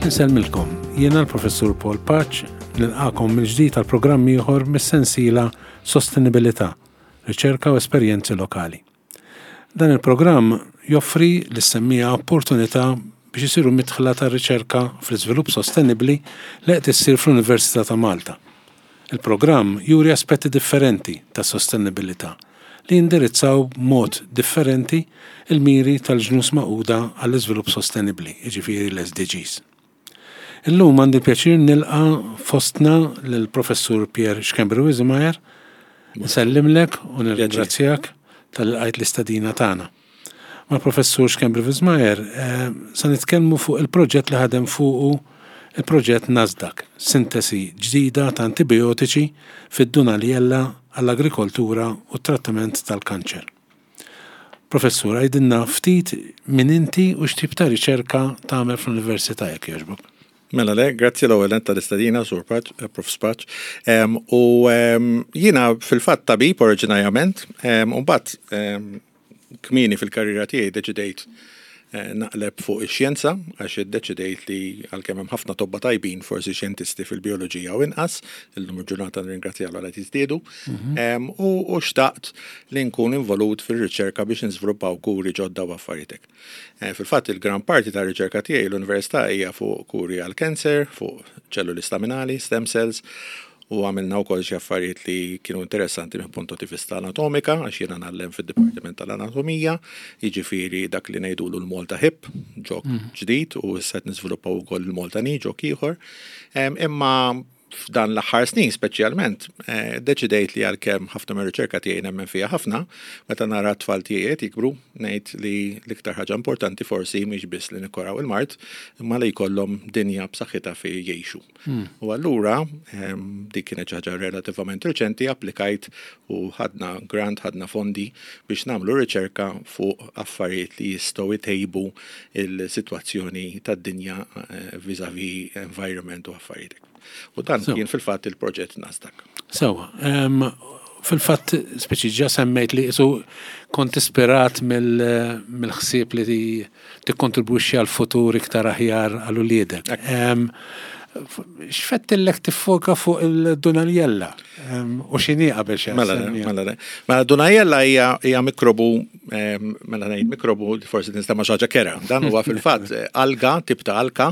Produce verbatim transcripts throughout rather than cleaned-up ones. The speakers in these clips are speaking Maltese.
Insellmilkom, jiena l-Professur Paul Pace, nilqagħkom mill-ġdid għal programm ieħor mis-sensiela Sostenibilità, riċerka u esperjenzi lokali. Dan il-programm joffri lis-semmiegħa opportunità biex isiru midħla ta' riċerka fl-iżvilupp sostenibbli li qed issir fl-Università ta' Malta. Il-programm juri aspetti differenti ta' sostenibilità li jindirizzaw b'mod differenti il-miri tal-Ġnus Magħquda għall-iżvilupp sostenibbli, jiġifieri l-S D Gs. Illum għandi pjaċir nilqa' fostna l-Professur Pierre Schembri Wiesemeyer. Nsellimlek u nirringrazzjak talli lqajt l-istedina tagħna. Mal-Professur Schembri Wiesemeyer eh, sa nitkellmu fuq il-proġett li ħadem fuqu, il-proġett Nasdaq, sintesi ġdida ta' antibiotiċi fid-Dunaliella għall-agrikoltura u t-trattament tal-kanċer. Professur, għidilna ftit min inti u x'tip ta' riċerka tagħmel fl-Università, jekk jogħġbok. Mela le, grazzi l-ewwel tal-istedina, Sur Pace, eh, Prof Pace. U jiena fil-fatt tabib oriġinarjament, u mbagħad kmieni fil-karriera tiegħi deċidejt eh, naqleb fuq ix-xjenza, għax iddeċidejt li għalkemm hemm ħafna tobba tajbin, forsi xjentisti fil-bioloġija u inqas, illum il-ġurnata nirringrazzja għal qed jiżdiedu, mhm. u xtaqt li nkun involut fir-riċerka biex niżviluppaw kuri ġodda u affarijiet. Eh, fil-fatt il-gran parti ta' riċerka tiegħi l-università hija fuq kuri għal cancer, fuq ċelluli staminali, stem cells, u għamilna wkoll xi affarijiet li kienu interessanti minn punto di vista anatomika, għax jiena ngħallem fid-Dipartiment tal-Anatomija, jiġifieri dak li ngħidulu l-Malta Hip, ġok mm. ġdid, u issa qed niżviluppaw ukoll il-Malta Knee, ġok ieħor. Imma f'dan l-aħħar snin speċjalment, eh, deċidejt li għalkemm ħafna mir-riċerka tiegħi nemmen fiha ħafna, meta nara t-tfal tiegħi qed jikbru, ngħid li l-iktar ħaġa importanti forsi mhix biss li nikkuraw il-mard, imma li jkollhom dinja b'saħħitha fejn jgħixu. Hmm. U allura dik kienet xi ħaġa relattivament reċenti, applikajt u ħadna grant, ħadna fondi biex nagħmlu riċerka fuq affarijiet li jistgħu jtejbu il-sitwazzjoni tad-dinja eh, vis-a-vis environment u affarijiet. U dan kien fil-fatt il-proġett Nasdaq. Sewa, fil-fatt speċi ġa semmejt li su kont ispirat mill-ħsieb li tikkontribwixxi għal futur iktar aħjar għal uliedek. X'fettillek tiffoka fuq il-Dunaliella? U x'inhi qabel xejn? Mela, mela, mela Dunaliella hija mikrobu, mela ngħid mikrobu, forsi tinstema' xi ħaġa kerha. Dan huwa fil-fatt alga, tip ta' alka,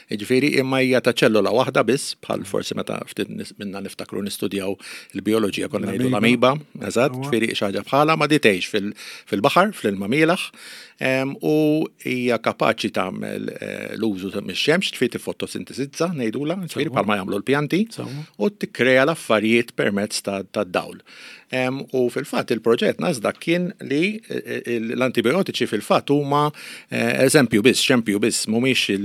jiġifieri imma hija ta' ċellola waħda biss, bħal forsi meta ftit minna niftakru nistudjaw il-bioloġija konna ngħidu l-amiba, eżatt, ġifieri xi ħaġa bħala ma di tgħix fil-baħar, fl-ilma mielaħ, u hija kapaċi tagħmel eh, l-użu mix-xemx, ġifieri tifotosintesizza ngħidula, ġifieri bħalma jagħmlu l-pjanti, u tikkrea l-affarijiet permezz tad-dawl. U fil-fatt il-proġett Nasdaq kien li eh, eh, l-antibiotiċi fil-fatt huma eżempju biss, xempju biss, mhumiex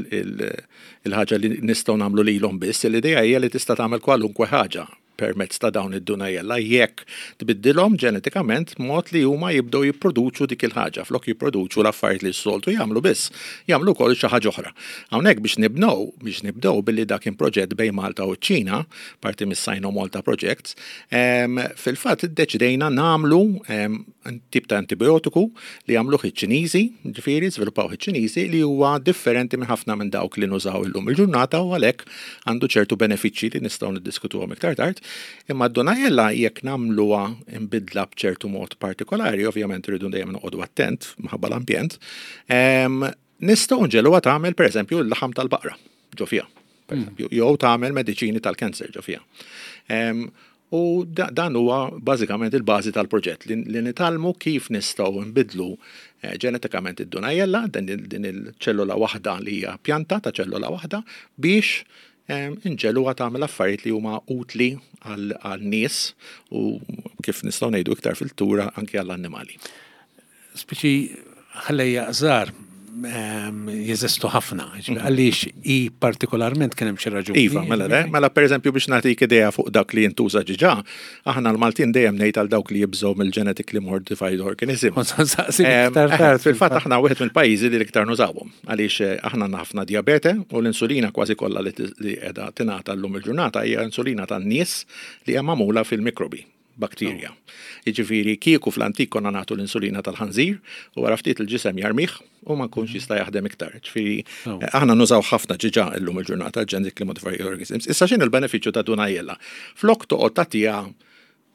il-ħaġa li nistgħu nagħmlu lilhom biss, l-idea hija li tista' tagħmel kwalunkwe ħaġa permezz ta' dawn id-Dunaliella jekk tbiddilhom ġenetikament mod li huma jibdew jipproduċu dik il-ħaġa, flok jipproduċu l-affarijiet li s-soltu jagħmlu biss, jagħmlu wkoll xi ħaġa oħra. Hawnhekk biex nibnew, biex nibdew billi dak kien proġett bejn Malta u ċ-Ċina, parti mis-Sino Malta Projects, fil-fatt iddeċidejna nagħmlu tip ta' antibiotiku li għamluh iċ-Ċiniżi, ġifieri żviluppaw iċ-Ċiniżi, li huwa differenti minn ħafna minn dawk li nużaw illum il-ġurnata u għalhekk għandu ċertu benefiċċji li nistgħu niddiskutuhom iktar tard. Imma d-Dunaliella jekk nagħmluha imbidla b'ċertu mod partikolari, ovvjament rridu dejjem noqogħdu attent minħabba l-ambjent, nistgħu nġegħluha tagħmel, pereżempju, l-laħam tal-baqra ġo fiha, pereżempju, jew tagħmel mediċini tal-cancer ġo fiha. U dan huwa bażikament il-bażi tal-proġett li nitgħallmu kif nistgħu nbidlu eh, ġenetikament id-Dunaliella, din il-ċellula waħda li hija pjanta ta' ċellula waħda, biex inġegħluha tagħmel affarijiet li huma utli għal-nies u, kif nistgħu ngħidu iktar fil-tura, anke għall-annimali. Speċi ħlejjaq żgħar jeżistu ħafna. Mhm. Għaliex i partikolarment, kien hemm xi raġuni? Iva, mela le, mela per eżempju biex nagħtik idea fuq dak li jintuża ġiġa, aħna l-Maltin dejjem ngħid għal dawk li jibżgħu mill-genetically modified organism. Fil-fatt aħna wieħed mill-pajjiżi li l-iktar nużawhom, għaliex eh, aħna ħafna diabete u l-insulina kważi kollha li qiegħda tingħata llum il-ġurnata hija insulina tan-nies li hija magħmula fil-mikrobi. bacteria. Jiġifieri kieku fl-antik konna nagħtu l-insulina tal-ħanżir u wara ftit il-ġisem jarmih u ma nkunx jista' jaħdem iktar. Ġifieri aħna nużaw ħafna ġiġa illum il-ġurnata genetically modified organisms. Issa x'inhu l-benefiċċju ta' Dunajella? Flok toqgħod tagħtiha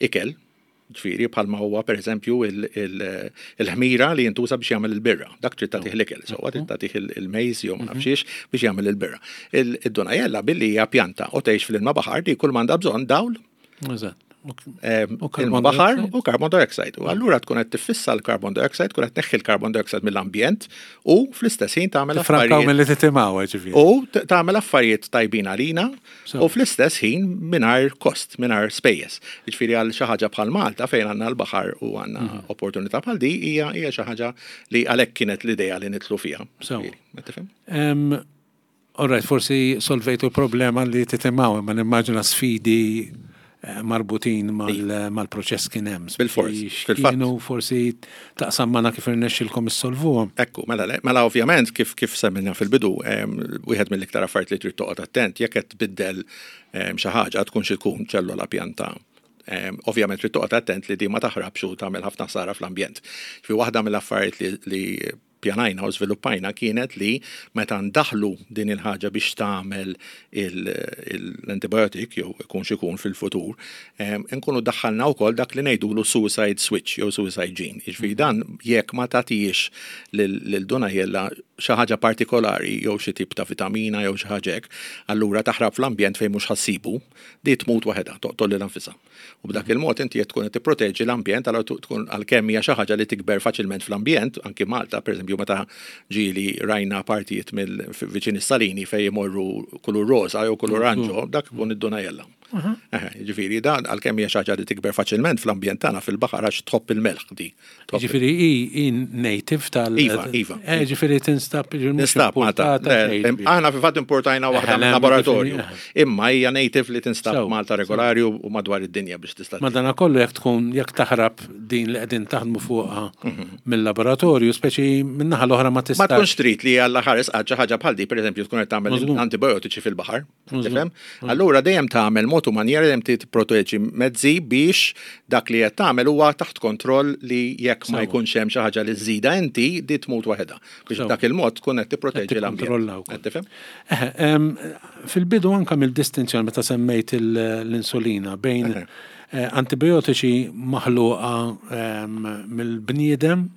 ikel, ġifieri bħalma huwa pereżempju il-ħmira li jintuża biex jagħmel il-birra. Dak trid tagħtih l-ikel, sewwa trid tagħtih il-mejz jew ma nafx biex jagħmel il-birra. Id-Dunajella billi hija pjanta u tgħix fl-ilma baħar di kull m'għandha bżonn dawl. Eżatt. U carbon baħar u carbon dioxide. U allura tkun qed tiffissa l-carbon dioxide, tkun qed tneħħi l-carbon dioxide mill-ambjent u fl-istess ħin tagħmel affarijiet. Milli titimgħu ġifieri. U tagħmel affarijiet tajbin għalina u fl-istess ħin mingħajr kost, mingħajr spejjeż. Ġifieri għal xi ħaġa bħal Malta fejn għandna l-baħar u għandna mhm. opportunità bħal di hija hija xi ħaġa li għalhekk kienet l-idea li nidħlu fiha. All right, forsi solvejtu l-problema li titimgħu, ma nimmaġina sfidi marbutin mal-proċess kien hemm. Bil-fors. Kienu forsi taqsam magħna kif irnexxilkom issolvuhom. Ekku, mela, mela ovvjament kif kif semmejna fil-bidu, wieħed mill-iktar affarijiet li trid toqgħod attent jekk qed tbiddel xi ħaġa tkun xi tkun ċellola pjanta. Ovvjament trid toqgħod attent li di ma taħrabx u tagħmel ħafna ħsara fl-ambjent. Fi waħda mill-affarijiet li pjanajna u żviluppajna kienet li meta ndaħlu din il-ħaġa biex tagħmel l-antibiotic jew ikun xikun fil-futur, nkunu daħħalna wkoll dak li ngħidulu suicide switch jew suicide gene. Jiġifieri dan jekk ma tagħtix lil Dunajella xi ħaġa partikolari jew xi tip ta' vitamina jew xi ħaġa hekk, allura taħrab fl-ambjent fejn mhux ħassibu, di tmut waħedha, toqtol lil nfisha. U b'dak il-mod inti qed tkun qed tipproteġi l-ambjent għal tkun għalkemm hija xi ħaġa li tikber faċilment fl-ambjent, anki Malta, pereżempju meta ġieli rajna partijiet mill viċin is-salini fejn imorru kulur rosa jew kulur oranġo, dak ikun id-Dunajella. Ġifieri dan għalkemm hija xi ħaġa li tikber faċilment fl-ambjent tagħna fil-baħar għax tħobb il-melħ di. Ġifieri hi native tal Iva, iva. Ġifieri tinstab Tinstab Malta. Aħna fil-fatt importajna waħda mill-laboratorju. Imma hija native li tinstab Malta regolari u madwar id-dinja biex tista'. Madanakollu jekk tkun jekk taħrab din li qegħdin taħdmu fuqha mill-laboratorju, speċi min-naħa l-oħra ma tistax. Ma tkunx trid li Alla ħares xi ħaġa bħal di, pereżempju tkun qed tagħmel antibiotiċi fil-baħar. Tifhem? Allura dejjem tagħmel mod u manjera dejjem tipproteġi mezzi biex dak li qed tagħmel huwa taħt kontroll li jekk ma jkunx hemm xi ħaġa li żżida inti di tmut waħedha. Biex dak il-mod tkun qed tipproteġi l-ambjent. Qed tifhem? Fil-bidu anke mill-distinzjoni meta semmejt l-insulina bejn antibiotiċi maħluqa mill-bniedem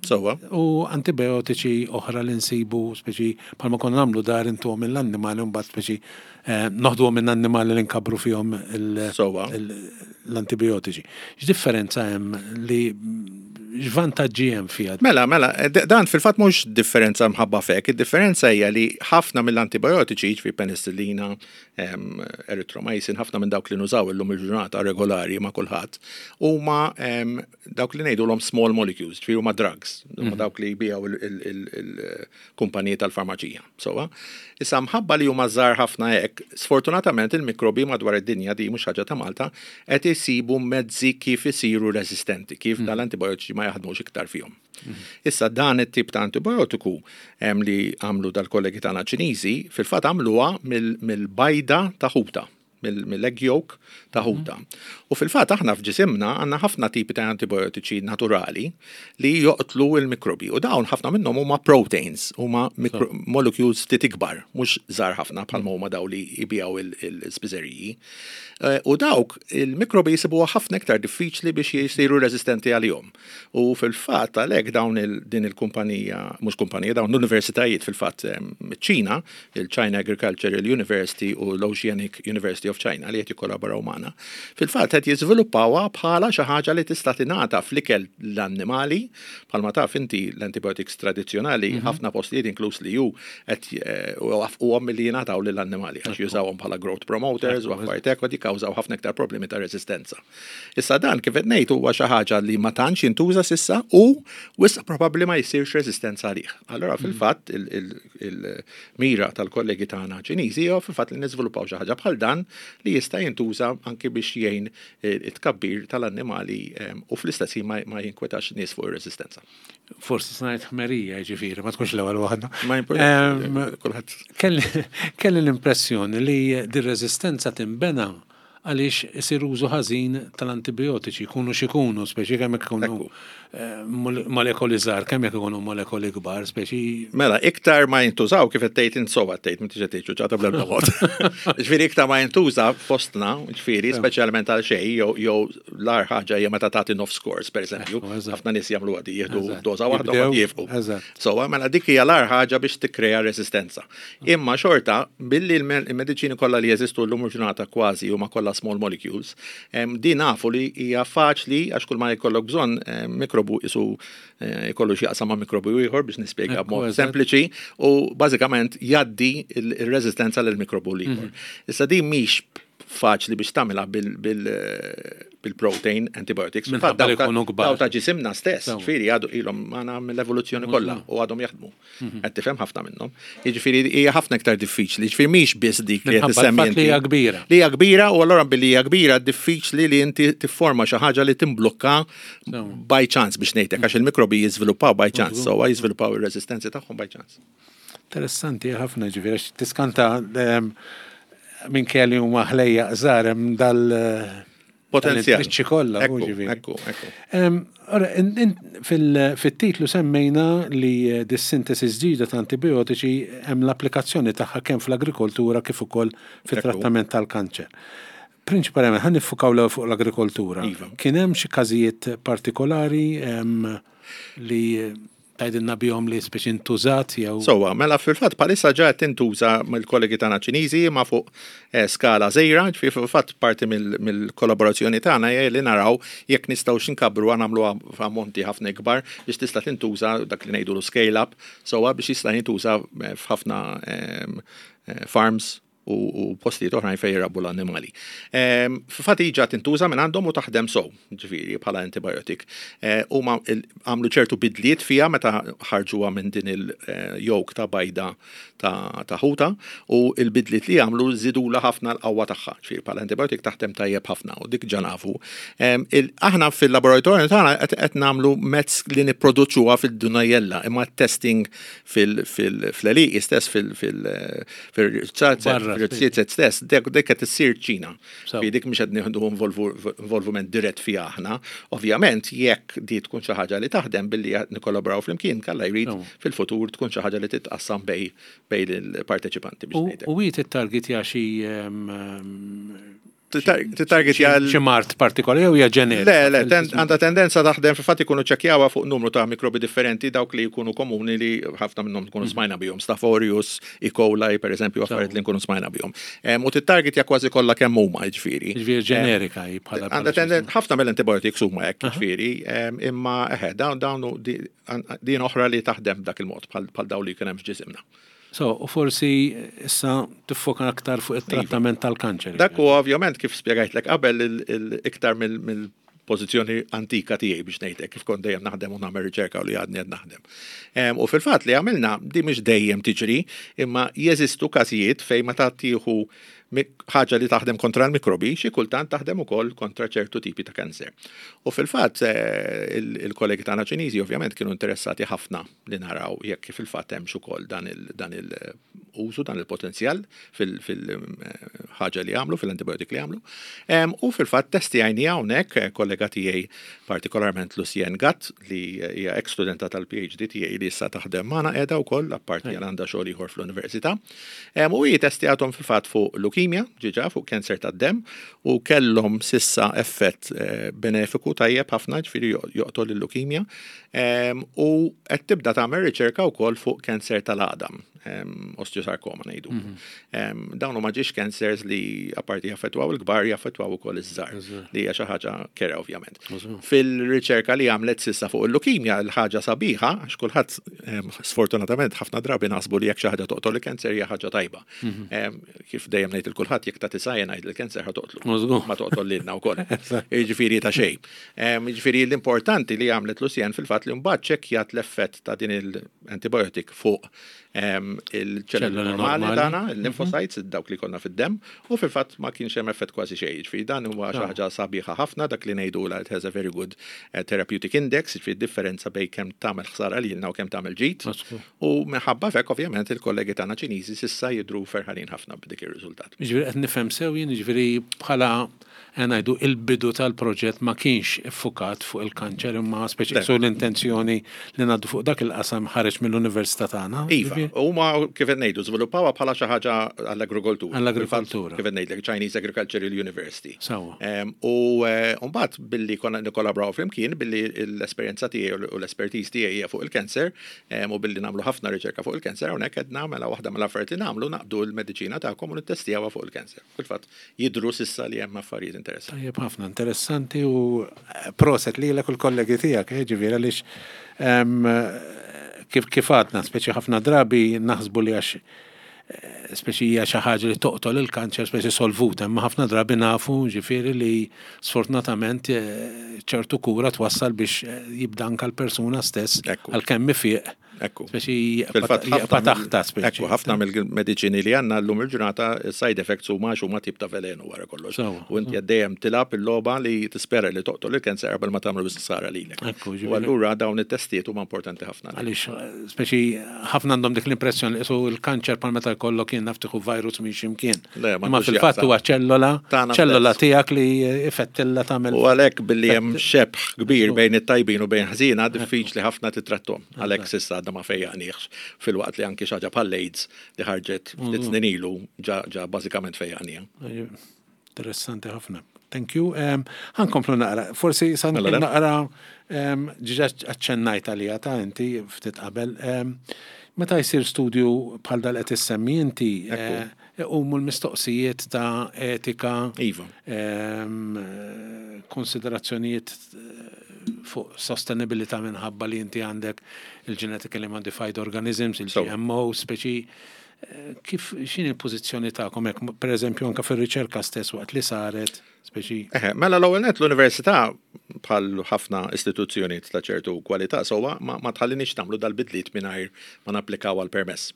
u antibiotiċi oħra li nsibu speċi bħalma konna nagħmlu dar intuhom mill-annimali u mbagħad speċi noħduhom minn annimali li nkabru fihom l-antibiotiċi. X'differenza hemm li x'vantaġġi hemm fiha? Mela, mela, dan fil-fatt mhux differenza mħabba fek, id-differenza hija li ħafna mill-antibiotiċi, ġifieri penicillina, erythromycin, ħafna minn dawk li nużaw illum il-ġurnata regolari ma' kulħadd, huma dawk li ngħidulhom small molecules, ġifieri huma drugs, huma dawk li jbiegħu il-kumpaniji tal-farmaċija. Sewwa, issa mħabba li huma żgħar ħafna hekk, sfortunatament il-mikrobi madwar id-dinja di mhux ħaġa ta' Malta, qed isibu mezzi kif isiru resistenti, kif dal-antibiotiċi ma jaħdmux iktar fihom. Issa dan it-tip ta' antibiotiku li għamlu dal-kollegi tagħna Ċiniżi, fil-fatt għamluha mill-bajda ta' ħuta, mill-egg yolk ta' ħuta. U fil-fatt aħna f'ġisimna għandna ħafna tipi ta' antibiotiċi naturali li joqtlu il-mikrobi. U dawn ħafna minnhom huma proteins, huma molecules ftit ikbar, mhux żgħar ħafna bħalma huma daw li jbiegħu il-spiżeriji. U dawk il-mikrobi jisibuha ħafna iktar diffiċli biex jisiru resistenti għalihom. U fil-fatt għalhekk dawn din il-kumpanija, mhux kumpanija, dawn l-universitajiet fil-fatt ċ-Ċina, il-China Agricultural University u l-Oceanic University of China li qed jikkollaboraw magħna. Fil-fatt qed jiżviluppawha bħala xi ħaġa li tista' tingħata fl-ikel l-annimali, bħalma taf inti l-antibiotics tradizzjonali ħafna postijiet inkluż li ju qed waqqfuhom milli jingħataw lill-annimali għax jużawhom bħala growth promoters u affarijiet hekk u jikkawżaw ħafna iktar problemi ta' resistenza. Issa dan kif qed ngħid huwa xi ħaġa li ma tantx jintuża s'issa u wisq probabbli ma jsirx resistenza għalih. Allura fil-fatt il-mira tal-kollegi tagħna Ċiniżi huwa fil-fatt li niżviluppaw xi ħaġa bħal dan li jista' jintuża anki biex jgħin it-tkabbir tal-annimali u fl-istess ħin ma jinkwetax nies fuq ir-resistenza. Forsi snajt ħmerija ġifieri, ma tkunx l-ewwel waħda. Ma jimpurtax. Kelli l-impressjoni li dir-resistenza tinbena Għaliex isir użu ħażin tal-antibiotiċi, jkunu x'ikunu, speċi kemm jekk ikunu eh, molekoli żgħar, kemm jekk ikunu molekoli kbar, speċi. Mela, iktar ma jintużaw, kif qed tgħid int sewwa tgħid, m'intix qed tgħid ċuċata bl-ebda mod. Ġifieri iktar ma jintuża fostna, ġifieri speċjalment għal xejn, jew jew l-agħar ħaġa hija meta tagħti nofs course, pereżempju. Ħafna nies jagħmlu għadi, jieħdu doża waħda u jieqfu. So, mela dik hija l-agħar ħaġa biex tikkrea resistenza. Imma xorta, billi l-mediċini kollha li jeżistu llum ġurnata kważi huma kollha small molecules, din nafu li hija faċli, għax kull ma jkollok bżonn mikrobu isu eh, jkollu x'jaqsam ma' mikrobu ieħor, biex nispjega b'mod sempliċi, u bażikament jgħaddi il-reżistenza lil mikrobu l-ieħor. Mhm. Issa din mhix faċli biex tagħmilha bil-protein antibiotics. Daw ta' ġisimna stess, ġifieri għadu ilhom magħna mill-evoluzzjoni kollha u għadhom jaħdmu. Mhm. Qed tifhem, ħafna minnhom. Jiġifieri hija ħafna iktar diffiċli, ġifieri mhix biss dik li qed issemmi. Li hija kbira. Li hija kbira, u allura billi hija kbira diffiċli li inti tifforma xi ħaġa li timblokka by chance, biex ngħidlek, għax il-mikrobi jiżviluppaw by chance, so jiżviluppaw ir-resistenzi tagħhom by chance. Interessanti ħafna, ġifieri tiskanta ehm, minn kelli huma ħlejja żgħar hemm dal potenzjal. Triċċi kollha. Ekku, ekku, ekku. Fil-titlu semmejna li dis-sintesi ġdida ta' antibiotiċi hemm l-applikazzjoni tagħha kemm fl-agrikoltura kif ukoll fit-trattament tal-kanċer. Prinċipalment ħa niffukaw l fuq l-agrikoltura. Iva. Kien hemm xi każijiet partikolari li tgħidilna bihom li speċi intużat jew? Sewwa, mela fil-fatt bħalissa ġa tintuża mill-kollegi tagħna Ċiniżi ma fuq eh, skala żgħira, ġifieri fil-fatt parti mill-kollaborazzjoni tagħna hija li naraw jekk nistgħu x'inkabru, nagħmluha f'ammonti ħafna ikbar biex tista' tintuża, dak li ngħidu scale up, sewwa, biex jista' jintuża eh, f'ħafna eh, farms u postijiet oħrajn fejn jirabbu l-annimali. Fil-fatt diġà tintuża minn għandhom u taħdem sew, ġifieri bħala antibiotic. Huma għamlu ċertu bidliet fija meta ħarġuha minn din il-yolk ta' bajda ta' ħuta, u il-bidliet li għamlu żidulha ħafna l-qawwa tagħha, ġifieri bħala antibiotic taħdem tajjeb ħafna u dik ġa nafu. Aħna fil-laboratorju tagħna qed nagħmlu mezz li nipproduċuha fid-Dunajella, imma testing fil-għelieqi stess, fil-rizziet stess, dik qed issir ċina. Fi dik mhux qed nieħdu involviment dirett fiha aħna. Ovvjament jekk di tkun xi ħaġa li taħdem, billi nikkollaboraw flimkien, kalla jrid fil-futur tkun xi ħaġa li titqassam bejn bejn il-parteċipanti, biex ngħidlek. U hi target xi Target xi mard partikolari jew hija ġenerika? Le, le, għandha tendenza taħdem, fil-fatt ikunu ċekkjawha fuq numru ta' mikrobi differenti, dawk li jkunu komuni li ħafna minnhom tkunu mm. smajna bihom, Staph aureus, E. coli, per eżempju, affarijiet li nkunu smajna bihom. U tittargetja kważi kollha kemm huma, ġifieri. Ġifieri ġenerika hi bħala. Għandha tendenza, ħafna mill-antibiotics huma hekk, ġifieri, imma eħe, dawn dawn din oħra li taħdem dak il-mod bħal dawn li kien hemm f'ġisimna. So, u forsi issa tiffoka aktar fuq it-trattament tal-kanċer. Dak u ovvjament, kif spjegajtlek qabel, iktar mill pożizzjoni antika tiegħi, biex ngħidlek, kif kont dejjem naħdem u nagħmel riċerka u li għadni qed naħdem. U fil-fatt li għamilna, di mhix dejjem tiġri, imma jeżistu każijiet fejn meta tieħu ħaġa li taħdem kontra l-mikrobi, xi kultant taħdem ukoll kontra ċertu tipi ta' kanser. U fil-fatt eh, il-kollegi tagħna Ċiniżi ovvjament kienu interessati ħafna li naraw jekk fil-fatt hemmx ukoll dan il-użu, dan il-potenzjal fil-ħaġa li għamlu, fil-antibiotic li għamlu. U fil-fatt testjajni hawnhekk eh, kollega tiegħi, partikolarment Lucien Gatt, li hija ex studenta tal-P H D tiegħi li issa taħdem magħna qiegħda wkoll, apparti għandha xogħol ieħor fl-università. U hi testjathom fil-fatt fuq leukemia, ġiġa fuq kanser tad-dem, u kellhom s'issa effett eh, benefiku tajjeb ħafna, ġifieri joqtol il-leukemia. U qed tibda tagħmel riċerka wkoll fuq kanser tal-għadam, osteosarcoma ngħidu. Mhm. Dawn huma ġiex cancers li apparti jaffettwaw il-kbar, jaffettwaw ukoll iż-żgħar, li hija xi ħaġa kerha ovvjament. Fil-riċerka li għamlet s'issa fuq il-leukemia, l-ħaġa sabiħa, għax kulħadd sfortunatament ħafna drabi naħsbu li jekk xi ħaġa toqtol il-kanser hija ħaġa tajba. Mhm. Kif dejjem ngħid il kulħadd, jekk tagħti cyanide il-kanser ħa toqtlu. Ma toqtol lilna wkoll. Jiġifieri ta' xejn. Jiġifieri l-importanti li għamlet Lucien fil-fatt li mbagħad ċekkjat l-effett ta' din il-antibiotic fuq il-ċelluli normali tagħna, il-lymphocytes, dawk li konna fid-dem, u fil-fatt ma kienx hemm effett kważi xejn. Ġifieri dan huwa xi ħaġa sabiħa ħafna, dak li ngħidu it has a very good eh, therapeutic index, ġifieri differenza bejn kemm tagħmel ħsara lilna u kemm tagħmel ġid. U minħabba f'hekk, ovvjament, il-kollegi tagħna Ċiniżi s'issa jidru ferħanin ħafna b'dik ir-riżultat. Ġifieri qed nifhem sew jien, ġifieri bħala ngħidu il-bidu tal-proġett ma kienx iffukat fuq il-kanċer, imma speċi su l-intenzjoni li ngħaddu fuq dak il-qasam ħareġ mill-università tagħna. Iva, huma, kif qed ngħidu, żviluppawha bħala xi ħaġa għall-agrikoltura. Għall-agrikoltura. Kif qed ngħidlek, Chinese Agricultural University. Sewwa. U eh, mbagħad billi konna nikkollaboraw flimkien, billi l-esperjenza tiegħi u l-expertise tiegħi hija fuq il-kanser, u billi nagħmlu ħafna riċerka fuq il-kanser, hawnhekk qed nagħmel waħda mill-affarijiet li nagħmlu, naqbdu l-mediċina tagħkom u nittestjawha fuq il-kanser. Fil-fatt jidru s'issa li hemm affarijiet interessanti. Tajjeb ħafna, interessanti, u eh, proset li l kollegi tiegħek, eh, ġifieri għaliex kif kif għadna, speċi ħafna drabi naħsbu li għax eh, speċi hija xi ħaġa li toqtol il-kanċer speċi solvuta, imma ħafna drabi nafu, ġifieri, li sfortunatament ċertu kura twassal biex jibda anka l-persuna stess għalkemm ifiq. Ekku. Speċi jibqa' taħta speċi. Ekku, ħafna mill-mediċini li għandna llum il-ġurnata, side effects huma huma tip ta' velenu wara kollox. U inti dejjem tilgħab il-logħba li tispera li toqtol il-kanser qabel ma tagħmlu biss ħsara lilek. U allura dawn it-testijiet huma importanti ħafna. Għaliex speċi ħafna għandhom dik l-impressjoni li il-kanċer bħal meta jkollok kien naf tieħu virus minn x'imkien. Imma fil-fatt huwa ċellola, ċellola tiegħek li ifettilla tagħmel. U għalhekk billi hemm xebħ kbir bejn it-tajbin u bejn ħżiena, diffiċli ħafna titrattom. Għalhekk s'issa għadna ma fejjaqniex, filwaqt li anki xi ħaġa bħal AIDS li ħarġet ftit snin ilu ġa ġa bażikament fejjaqnieha. Interessanti ħafna. Thank you. Ħa nkomplu naqra. Forsi sa Mela, le. naqra ġiġa aċċennajt għalija ta' inti ftit qabel. Meta jsir studju bħal dal qed issemmi inti, eh, iqumu l-mistoqsijiet ta' etika, Iva. em, konsiderazzjonijiet eh, fuq sostenibilità minħabba li inti għandek il-genetically modified organisms, il-G M O, speċi eh, kif x'inhi il-pożizzjoni tagħkom hekk, per eżempju, anke fir-riċerka stess waqt li saret, speċi? Eħe, mela l-ewwel net l-università, bħal ħafna istituzzjonijiet ta' ċertu kwalità sewwa, ma, ma tħallinix nagħmlu dal-bidliet mingħajr ma napplikaw għal permess.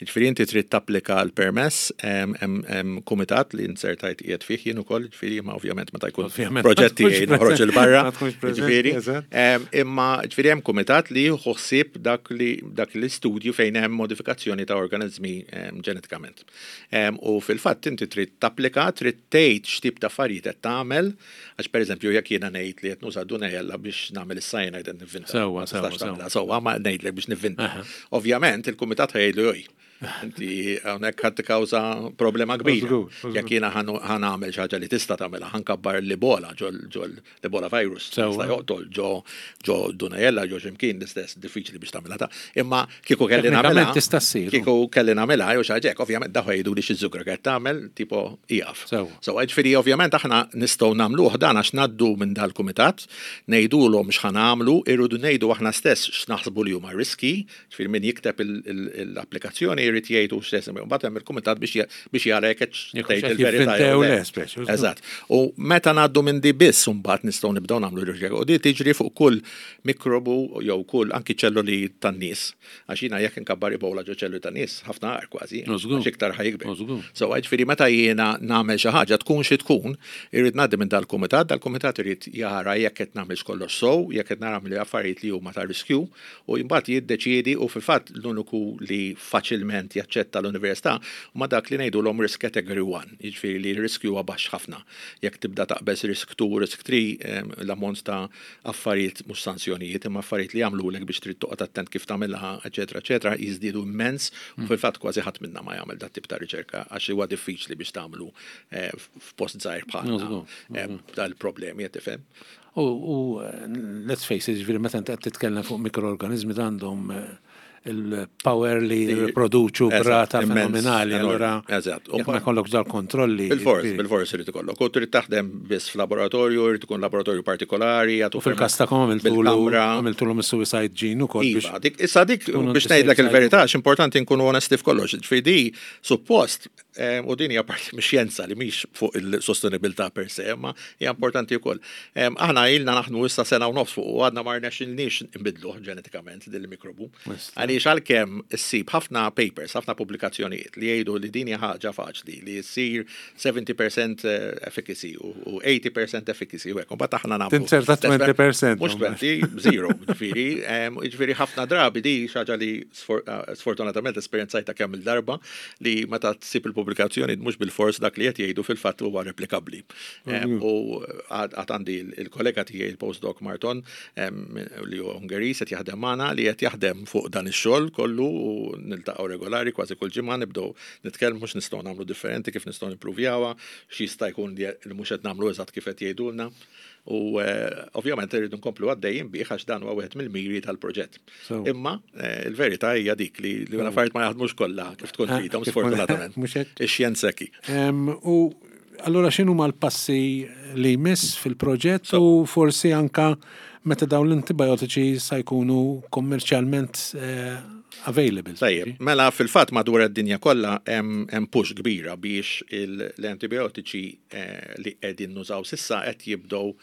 Jiġifieri inti trid tapplika għal permess, hemm hemm kumitat li insertajt qiegħed fih jien ukoll, jiġifieri, ma ovvjament meta jkun Ovvjament, proġetti ma tkunx noħroġ il-barra. ma tkunx preżenti, Jiġifieri, eżatt. em, imma ġifieri hemm kumitat li jieħu ħsieb dak li dak l-istudju fejn hemm modifikazzjoni ta' organizmi em, ġenetikament. Em, U fil-fatt inti trid tapplika, trid tgħid x'tip ta' affarijiet qed tagħmel, għax pereżempju jekk jiena ngħid li qed nuża Dunajella biex nagħmel is-cyanide, qed nivvinta. Sewwa, Ma sewwa, tistax sewwa. tagħmilha. Sewwa, ma ngħidlek biex nivvinta. Aha. Ovvjament il-kumitat ħa jgħidlu: "Oj, inti hawnhekk ħadd tikkawża problema kbira." Żgur, żgur. Jekk jiena ħa nagħmel xi ħaġa li tista' tagħmilha, ħa nkabbar l-Ebola ġol ġol l-Ebola virus. Sewwa. Tista' joqtol ġo ġo Dunajella, ġo x'imkien l-istess, diffiċli biex tagħmilha ta'. Imma kieku kelli nagħmilha. Teknikament tista' ssir. Kieku kelli nagħmilha jew xi ħaġa hekk, ovvjament daħ jgħidu li xi żugra qed tagħmel, tipo ieqaf. Sewwa. So ġifieri ovvjament aħna nistgħu nagħmluh dan għax ngħaddu minn dal-kumitat, ngħidulhom x'ħa nagħmlu, irridu ngħidu aħna stess x'naħsbu li huma riski, ġifieri min jikteb il- il- l-applikazzjoni jrid jgħidu x'stess, mbagħad hemm il-kumitat biex ja- biex jara jekk qed Jekk tgħid hux qed il-verità jivvintew jew le. le, speċi. Eżatt. U meta ngħaddu minn di biss mbagħad nistgħu nibdew nagħmlu riċerka. U di tiġri fuq kull mikrobu jew kull anki ċelluli tan-nies. Għax jiena jekk inkabbar Ebola ġo ċelluli tan-nies, ħafna agħar kważi. Żgur. Għax iktar ħa jikber. Żgur. So ġifieri meta jiena nagħmel xi ħaġa, tkun xi tkun, irrid ngħaddi minn dal-kumitat, dal-kumitat irid jara jekk qed nagħmel kollox sew, jekk qed nagħmel affarijiet li huma ta' riskju, u mbagħad jiddeċiedi. U fil-fatt l-uniku li faċilment jaċċetta l-università huma dak li ngħidulhom risk category one, jiġifieri li r-riskju huwa baxx ħafna. Jekk tibda taqbeż risk two, risk three, em, l-ammont ta' affarijiet, mhux sanzjonijiet, imma affarijiet li jagħmlulek biex trid toqgħod attent kif tagħmilha, eċetera, eċetera, jiżdiedu immens, u fil-fatt kważi ħadd minna ma jagħmel dat tip ta' riċerka għax huwa diffiċli biex tagħmlu eh, f'post żgħir bħalna Żgur, eh, dal-problemi, qed tifhem. U, u let's face it, ġifieri meta inti qed titkellem fuq mikroorganizmi, għandhom eh, il-power li riproduċu Eżatt, b'rata immens, fenomenali. enorm, Allura, eżatt. jekk ma jkollok dal kontrolli. Bil-fors, ġifieri- bil-fors irid ikollok. U trid taħdem biss f'laboratorju, irid ikun laboratorju partikolari. U fil-kas tagħkom għamiltulu bil-kamra. għamiltulu suicide gene ukoll biex. Iva, dik, issa dik tkunu biex ngħidlek safe il-verità, x'importanti nkunu onesti f'kollox. Ġifieri di suppost u din hija parti mix-xjenza li mhix fuq il-sostenibilità per se, imma hija importanti wkoll. Aħna ilna naħdmu issa sena u nofs fuq u għadna ma rnexxilniex nbidluh ġenetikament din il-mikrobu. Għaliex għalkemm issib ħafna papers, ħafna pubblikazzjonijiet li jgħidu li din hija ħaġa faċli li ssir seventy percent efficacy u eighty percent efficacy u hekk. Mbagħad aħna nagħmlu. Tinzerta twenty percent. Mhux twenty, zero, ġifieri, ġifieri ħafna drabi di xi ħaġa li sfortunatament esperjenzajta kemm il-darba li meta tsib il-pubblikazzjoni mhux bil-fors dak li qed jgħidu fil-fatt huwa replikabbli. U għad għandi il-kollega tiegħi, il-postdoc Marton, li huwa Ungeriż, qed jaħdem magħna, li qed jaħdem fuq dan ix-xogħol kollu, u niltaqgħu regolari, kważi kull ġimgħa nibdew nitkellmu x'nistgħu nagħmlu differenti, kif nistgħu nimpruvjawha, x'jista' jkun li mhux qed nagħmlu eżatt kif qed jgħidulna. U ovvjament irridu nkomplu għaddejjin bih għax dan huwa wieħed mill-miri tal-proġett. Imma il-verità hija dik li l-affarijiet ma jaħdmux kollha kif tkun tridhom, sfortunatament. Ix-xjenza hekk. U allura x'inhu l-passi li jmiss fil-proġett u forsi anka meta dawn l-antibiotiċi sa jkunu kommerċjalment available? Tajjeb, mela fil-fatt madwar id-dinja kollha hemm push kbira biex l-antibiotiċi li qegħdin nużaw s'issa qed jibdew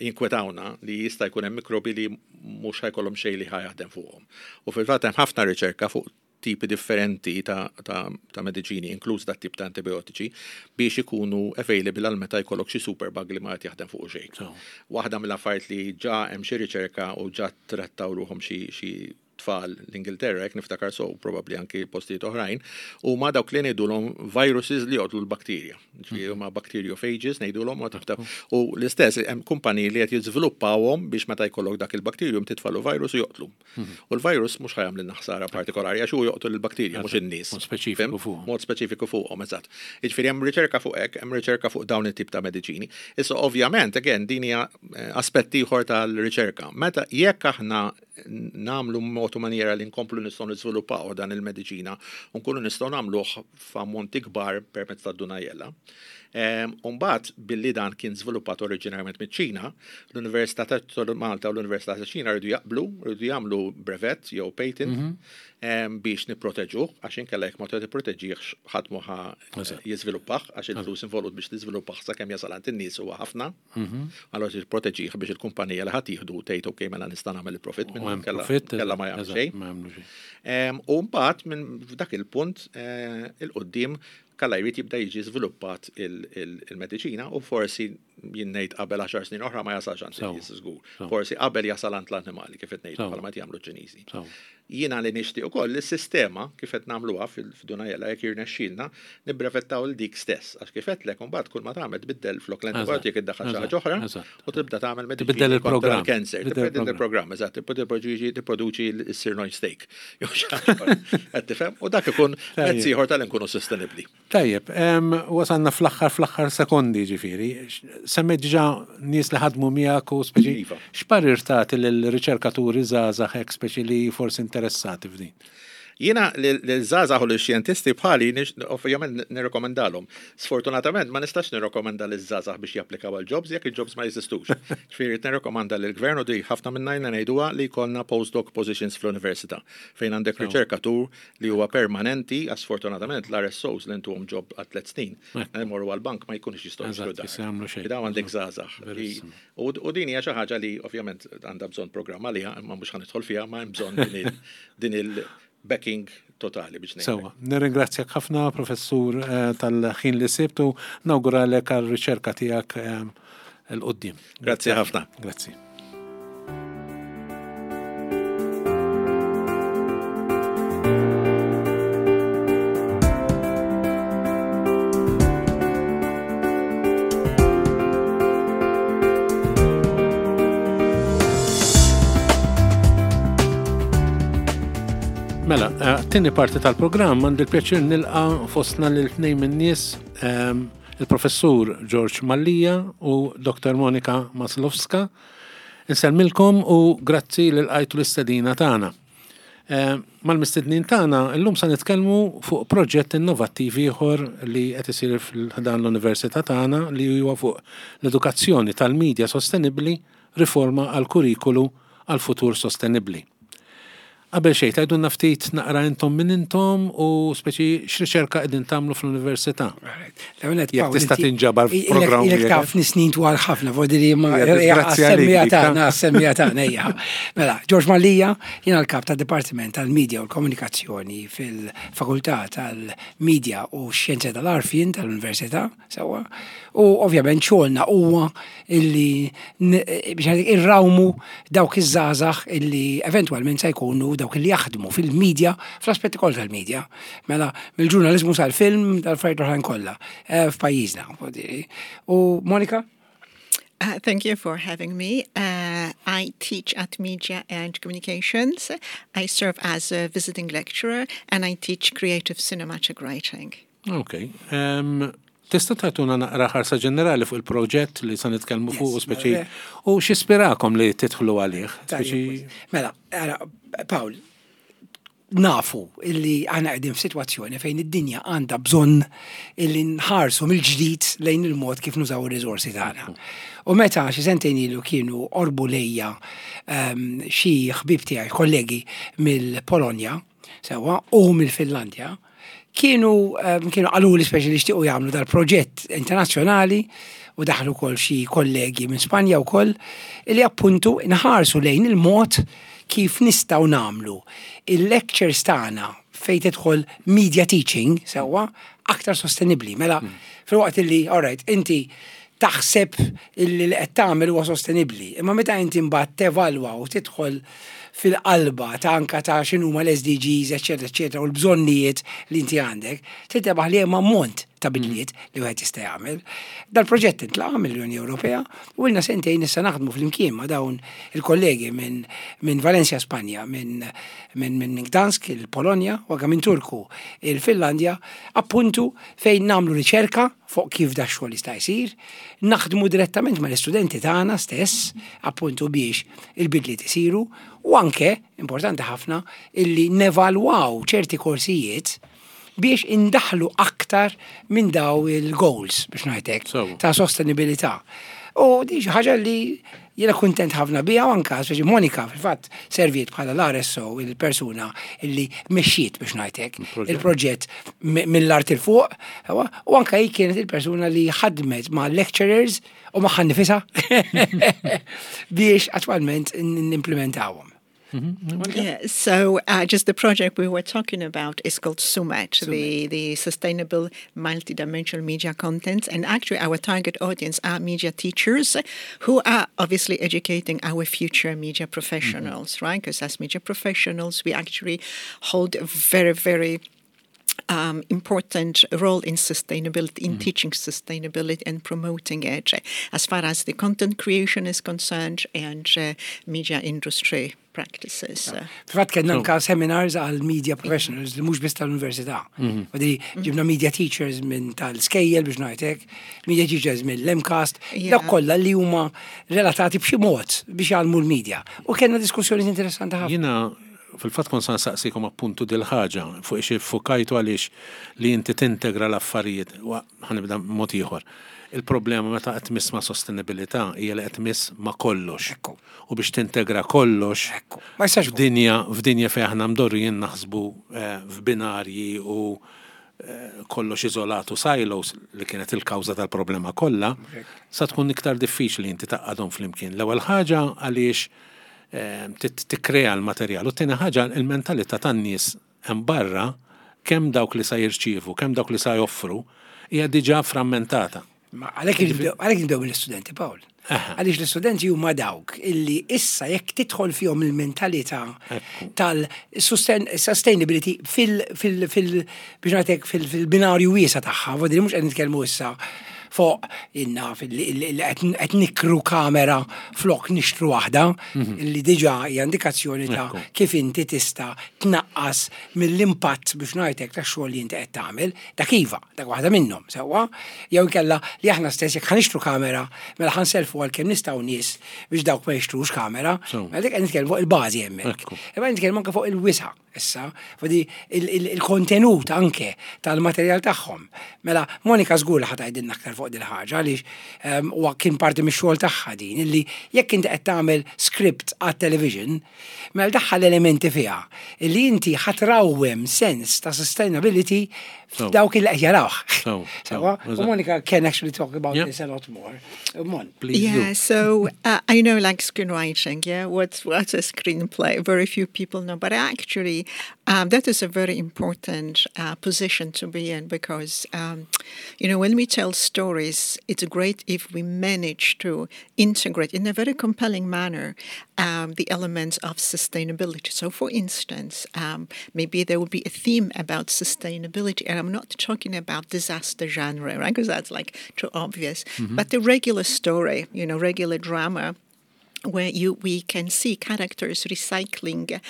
jinkwetawna li jista' jkun hemm mikrobi li mhux ħa jkollhom xejn li ħa jaħdem fuqhom. U fil-fatt hemm ħafna riċerka fuq tipi differenti ta', ta, ta' mediċini, inkluż dat tip ta' antibiotiċi, biex ikunu available għal meta jkollok xi superbug li ma qed jaħdem fuq xejn. Waħda mill-affarijiet li ġa hemm xi riċerka u ġa trattaw ruħhom xi xi tfal l-Ingilterra, jekk niftakar so, probabli anki postijiet oħrajn, u ma dawk li ngħidulhom viruses li joqtlu l-bakterja. Ġifieri huma bacteriophages ngħidulhom u tafta. U l-istess hemm kumpaniji li qed jiżviluppawhom biex meta jkollok dak il-bakterjum titfalu virus u joqtlu. U l-virus mhux ħa jagħmlilna ħsara partikolari għax hu joqtlu l-bakterja, mhux in-nies. Mod speċifiku fuq. Mod speċifiku fuqhom, eżatt. Jiġifieri hemm riċerka fuq hekk, hemm riċerka fuq dawn it-tip ta' mediċini. Issa ovvjament, again, din hija aspett ieħor tal-riċerka. Meta jekk aħna nagħmlu mod u maniera li nkomplu nistgħu niżviluppaw dan il-mediċina u nkunu nistgħu nagħmluh f'ammonti kbar permezz ta' Dunajella. Umbagħad billi dan kien żviluppat oriġinarjament miċ-Ċina, l-Università ta' Malta u l-Università ta' Ċina rridu jaqblu, rridu jagħmlu brevet jew patent biex nipproteġuh, għax inkella jekk ma tipproteġihx ħadd mhu ħa jiżviluppah, għax il-flus involut biex tiżviluppah sakemm jasal għand in-nies huwa ħafna. Allora tipproteġih biex il-kumpanija li ħadd jieħdu tgħid, "Ok, mela nista' nagħmel il-profit minn kella ma jagħmel xejn." U mbagħad minn dak il-punt il-qudiem kalla jrid jibda jiġi żviluppat il-mediċina u forsi jien ngħid qabel għaxar snin oħra ma jasalx għand in-nies żgur. Forsi qabel jasal għand l-annimali, kif qed ngħidu bħalma qed jagħmlu ċ-Ċiniżi. Jiena li nixtieq ukoll is-sistema kif qed nagħmluha f'Dunajella, jekk jirnexxielna nibbrevettaw l dik stess, għax kif qedlek imbagħad kull ma tagħmel tbiddel, flok l-antibiotic iddaħħal xi ħaġa oħra u tibda tagħmel mediċina kontra l-cancer. Tbiddel il-programm, eżatt, tipproduċi tipproduċi s-sirloin steak. Qed tifhem? U dak ikun mezz ieħor tal-inkunu sostenibbli. Tajjeb, wasalna fl-aħħar fl-aħħar sekondi ġifieri. Semmejt diġà nies li ħadmu miegħek u speċi. Iva. X'parir tagħti lill-riċerkaturi żgħażagħ hekk speċi li forsi interessati f'din? Jiena l-żgħażagħ u l-xjentisti bħali ovvjament nirrekomendalhom. Sfortunatament ma nistax nirrekomenda l-żgħażagħ biex japplikaw għal jobs jekk il-jobs ma jeżistux. Ġifieri nirrekomenda lill-gvern, u di ħafna minna jna ngħiduha, li jkollna postdoc positions fl-università fejn għandek riċerkatur li huwa permanenti, għax sfortunatament l-R S Os li ntuhom job għal tliet snin. Imorru għal-bank, ma jkunux jistgħu jixtru dar. Dawn għandek żgħażagħ. U din hija xi ħaġa li ovvjament għandha bżonn programm għaliha, imma mhux ħa nidħol fiha, ma hemm bżonn din il backing totali biex ngħid. Sewwa, nirringrazzjak ħafna, professur, eh, tal-ħin li sibtu, nawguralek għal-riċerka tiegħek eh, 'il quddiem. Grazzi ħafna. Grazzi. Mela, eh, t-tieni parti tal-programm għandi l-pjaċir nilqa' fostna lil tnejn min-nies, ehm, il-professur George Mallia u Doktor Monika Maslowska. Insellmilkom u grazzi li lqajtu l-istedina tagħna. Eh, Mal-mistednin tagħna llum sa nitkellmu fuq proġett innovattiv ieħor li qed isir f'dan l-università tagħna, li huwa fuq l-edukazzjoni tal-medja sostenibbli, riforma għal kurrikulu għal futur sostenibbli. Qabel xejn, tgħidulna ftit naqra intom min intom u speċi x'riċerka qegħdin tagħmlu fl-università. Jekk tista' tinġabar f'programm. Ilek taf snin twal ħafna, vodili ma semmija tagħna, semmija tagħna ejja. Mela, George Mallia, jiena l-kap tad-Dipartiment tal-Media u l-Komunikazzjoni fil-Fakultà tal-Media u Xjenza tal-Għarfien tal-Università, sewwa. U ovvjament xogħolna huwa illi biex irrawmu dawk iż-żgħażagħ illi eventwalment se jkunu dawk li jaħdmu fil-medja, fl-aspetti kollha tal-medja. Mela, mill-ġurnalizmu sal-film, dal-affarijiet oħrajn kollha eh, f'pajjiżna. U Monika? Uh, thank you for having me. Uh, I teach at Media and Communications. I serve as a visiting lecturer and I teach creative cinematic writing. Ok. Um, tista' tagħtuna naqra ħarsa ġenerali fuq il-proġett li sa nitkellmu fuq u speċi u x'ispirakom li tidħlu għalih? Mela, Paul, nafu illi aħna qegħdin f'sitwazzjoni fejn id-dinja għandha bżonn illi nħarsu mill-ġdid lejn il-mod kif nużaw ir-riżorsi tagħna. U meta xi sentejn ilu kienu qorbu lejja ehm, xi ħbib tiegħi kollegi mill-Polonja, sewwa, u mill-Finlandja, kienu ehm, kienu qalu li speċi li xtiequ jagħmlu dal-proġett internazzjonali u daħlu kol xi kollegi minn Spanja wkoll li appuntu nħarsu lejn il-mod kif nistgħu nagħmlu il-lectures tagħna fejn tidħol media teaching sewwa aktar sostenibbli. Mela, mm. fil-waqt li, all right, inti taħseb illi li qed tagħmel huwa sostenibbli, imma meta inti mbagħad tevalwa u tidħol fil-qalba ta' anka ta' x'inhuma l-S D Gs, eċetera, eċetera, u l-bżonnijiet li inti għandek, tintebaħ li hemm ammont ta' bidliet li wieħed jista' jagħmel. Dal-proġett intlaqa mill-Unjoni Ewropea u ilna sentejn issa naħdmu flimkien ma' dawn il-kollegi minn min Valencia, Spanja, minn min, min Gdansk, il-Polonja, u anke minn Turku, il-Finlandja, appuntu fejn nagħmlu riċerka fuq kif da xogħol jista' jsir, naħdmu direttament mal-istudenti tagħna stess, appuntu biex il-bidliet isiru, u anke, importanti ħafna, illi nevalwaw ċerti korsijiet biex indaħlu aktar minn daw il-goals, biex ngħidlek, ta' sostenibilità. U di xi ħaġa li jiena kuntent ħafna biha u anka, speċi Monika fil-fatt serviet bħala l-R S O, il-persuna illi mexxiet, biex ngħidlek, il-proġett mill-art 'il fuq, u anka hi kienet il-persuna li ħadmet ma' lecturers u ma' nifisha biex attwalment nimplementawhom. Mm-hmm. Yeah, so uh, just the project we were talking about is called SUMET, SUMET. The, the Sustainable Multidimensional Media Content. And actually, our target audience are media teachers who are obviously educating our future media professionals, mm-hmm. right? Because as media professionals, we actually hold a very, very um, important role in sustainability, in mm. teaching sustainability and promoting it, as far as the content creation is concerned and uh, media industry practices. Fil-fatt kellna anka seminars għal media professionals li mhux biss tal-università. Mhm. Ġibna media teachers minn tal-skejjel, biex ngħidlek, media teachers mill-MCAST, dak kollha li huma relatati b'xi mod biex jgħallmu l-media. U kellna diskussjoni interessanti ħafna. Jiena fil-fatt kont sa nsaqsikom appuntu dil-ħaġa fuq ix fukajtu għaliex li inti tintegra l-affarijiet. Ħa nibda mod ieħor. Il-problema meta qed tmiss ma' sostenibilità hija li qed tmiss ma' kollox. U biex tintegra kollox f'dinja f'dinja fejn aħna mdorrijin naħsbu eh, f'binarji u eh, kollox iżolatu, silos, li kienet il-kawża tal-problema kollha, sa tkun iktar diffiċli inti tgħaqqadhom flimkien. L-ewwel ħaġa għaliex eh, tikkrea l-materjal u t-tieni ħaġa il-mentalità tan-nies hemm barra, kemm dawk li sa jirċievu, kemm dawk li sa joffru, hija diġà frammentata. Ma għalhekk nibdew mill-istudenti, Paul. Għaliex l-istudenti huma dawk illi issa jekk tidħol fihom il-mentalità tal-sustainability fil fil fil biex ngħidlek fil-binarju wiesa tagħha, vodili mhux qed nitkellmu issa fuq inna qed nikru kamera flok nixtru waħda, mhm. illi diġà hija indikazzjoni ta' kif inti tista' tnaqqas mill-impatt, biex ngħidlek, tax-xogħol li inti qed tagħmel, dak iva, dak waħda minnhom, sewwa, jew inkella li aħna stess jekk ħa nixtru kamera, mela ħa nsellfu għal kemm nistgħu nies biex dawk ma jixtrux kamera, mela dik qed nitkellmu fuq il-bażi hemmhekk. Imma nitkellmu anke fuq il-wisa' issa, fadi il-kontenut anke tal-materjal tagħhom. Mela, Monika żgur li ħa tgħidilna aktar. fuq dil ħaġa għaliex um, huwa kien parti mix-xogħol tagħha din illi jekk inti qed tagħmel script għat-television, mela daħħal elementi fiha illi inti ħa trawwem sens ta' sustainability f'dawk il qed jarawh. So, Sewwa? so, U Monica can actually talk about Yeah. this a lot more. Uh, Mon. Please Yeah, do. so uh, I know like screenwriting, yeah, what's what's a screenplay? Very few people know, but actually um, that is a very important uh, position to be in because, um, you know, when we tell stories, it's great if we manage to integrate in a very compelling manner um, the elements of sustainability. So, for instance, um, maybe there will be a theme about sustainability, and I'm not talking about disaster genre, right? Because that's like too obvious. But the regular story, you know, regular drama, where you we can see characters recycling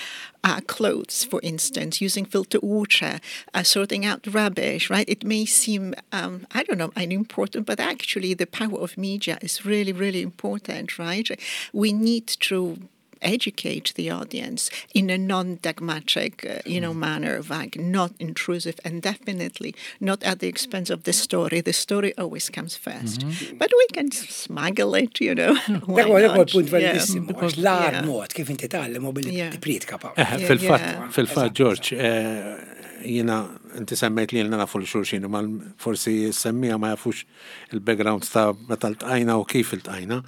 uh, clothes, for instance, using filtered water, uh, sorting out rubbish, right? It may seem, um, I don't know, unimportant, but actually the power of media is really, really important, right? We need to educate the audience in a non-dogmatic, uh, you know, manner, like not intrusive, and definitely not at the expense of the story. The story always comes first, but we can smuggle it, you know. Why Dak huwa dak huwa not? punt Yeah. validissimu, għax l-agħar Yeah. mod kif inti tgħallem u billi Yeah. tippriedka Paul. Eh, Yeah, Fil-fatt, yeah. fil-fatt, George, eh, jiena, inti semmejt li jiena nafu 'l xulxin, ma forsi semmiegħa ma jafux il-background ta' meta ltqajna u kif iltqajna.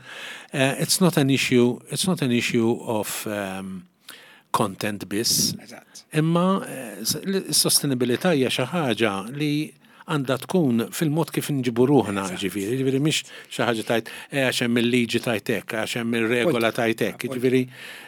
Eh, It's not an issue, it's not an issue of um, content biss. Eżatt. Imma eh, s- l-sostenibilità hija xi ħaġa li għandha tkun fil-mod kif nġibu ruħna, ġifieri, ġifieri mhix xi ħaġa tajt eh, għax hemm il-liġi tajt hekk, għax hemm ir-regola tajt hekk. Ġifieri,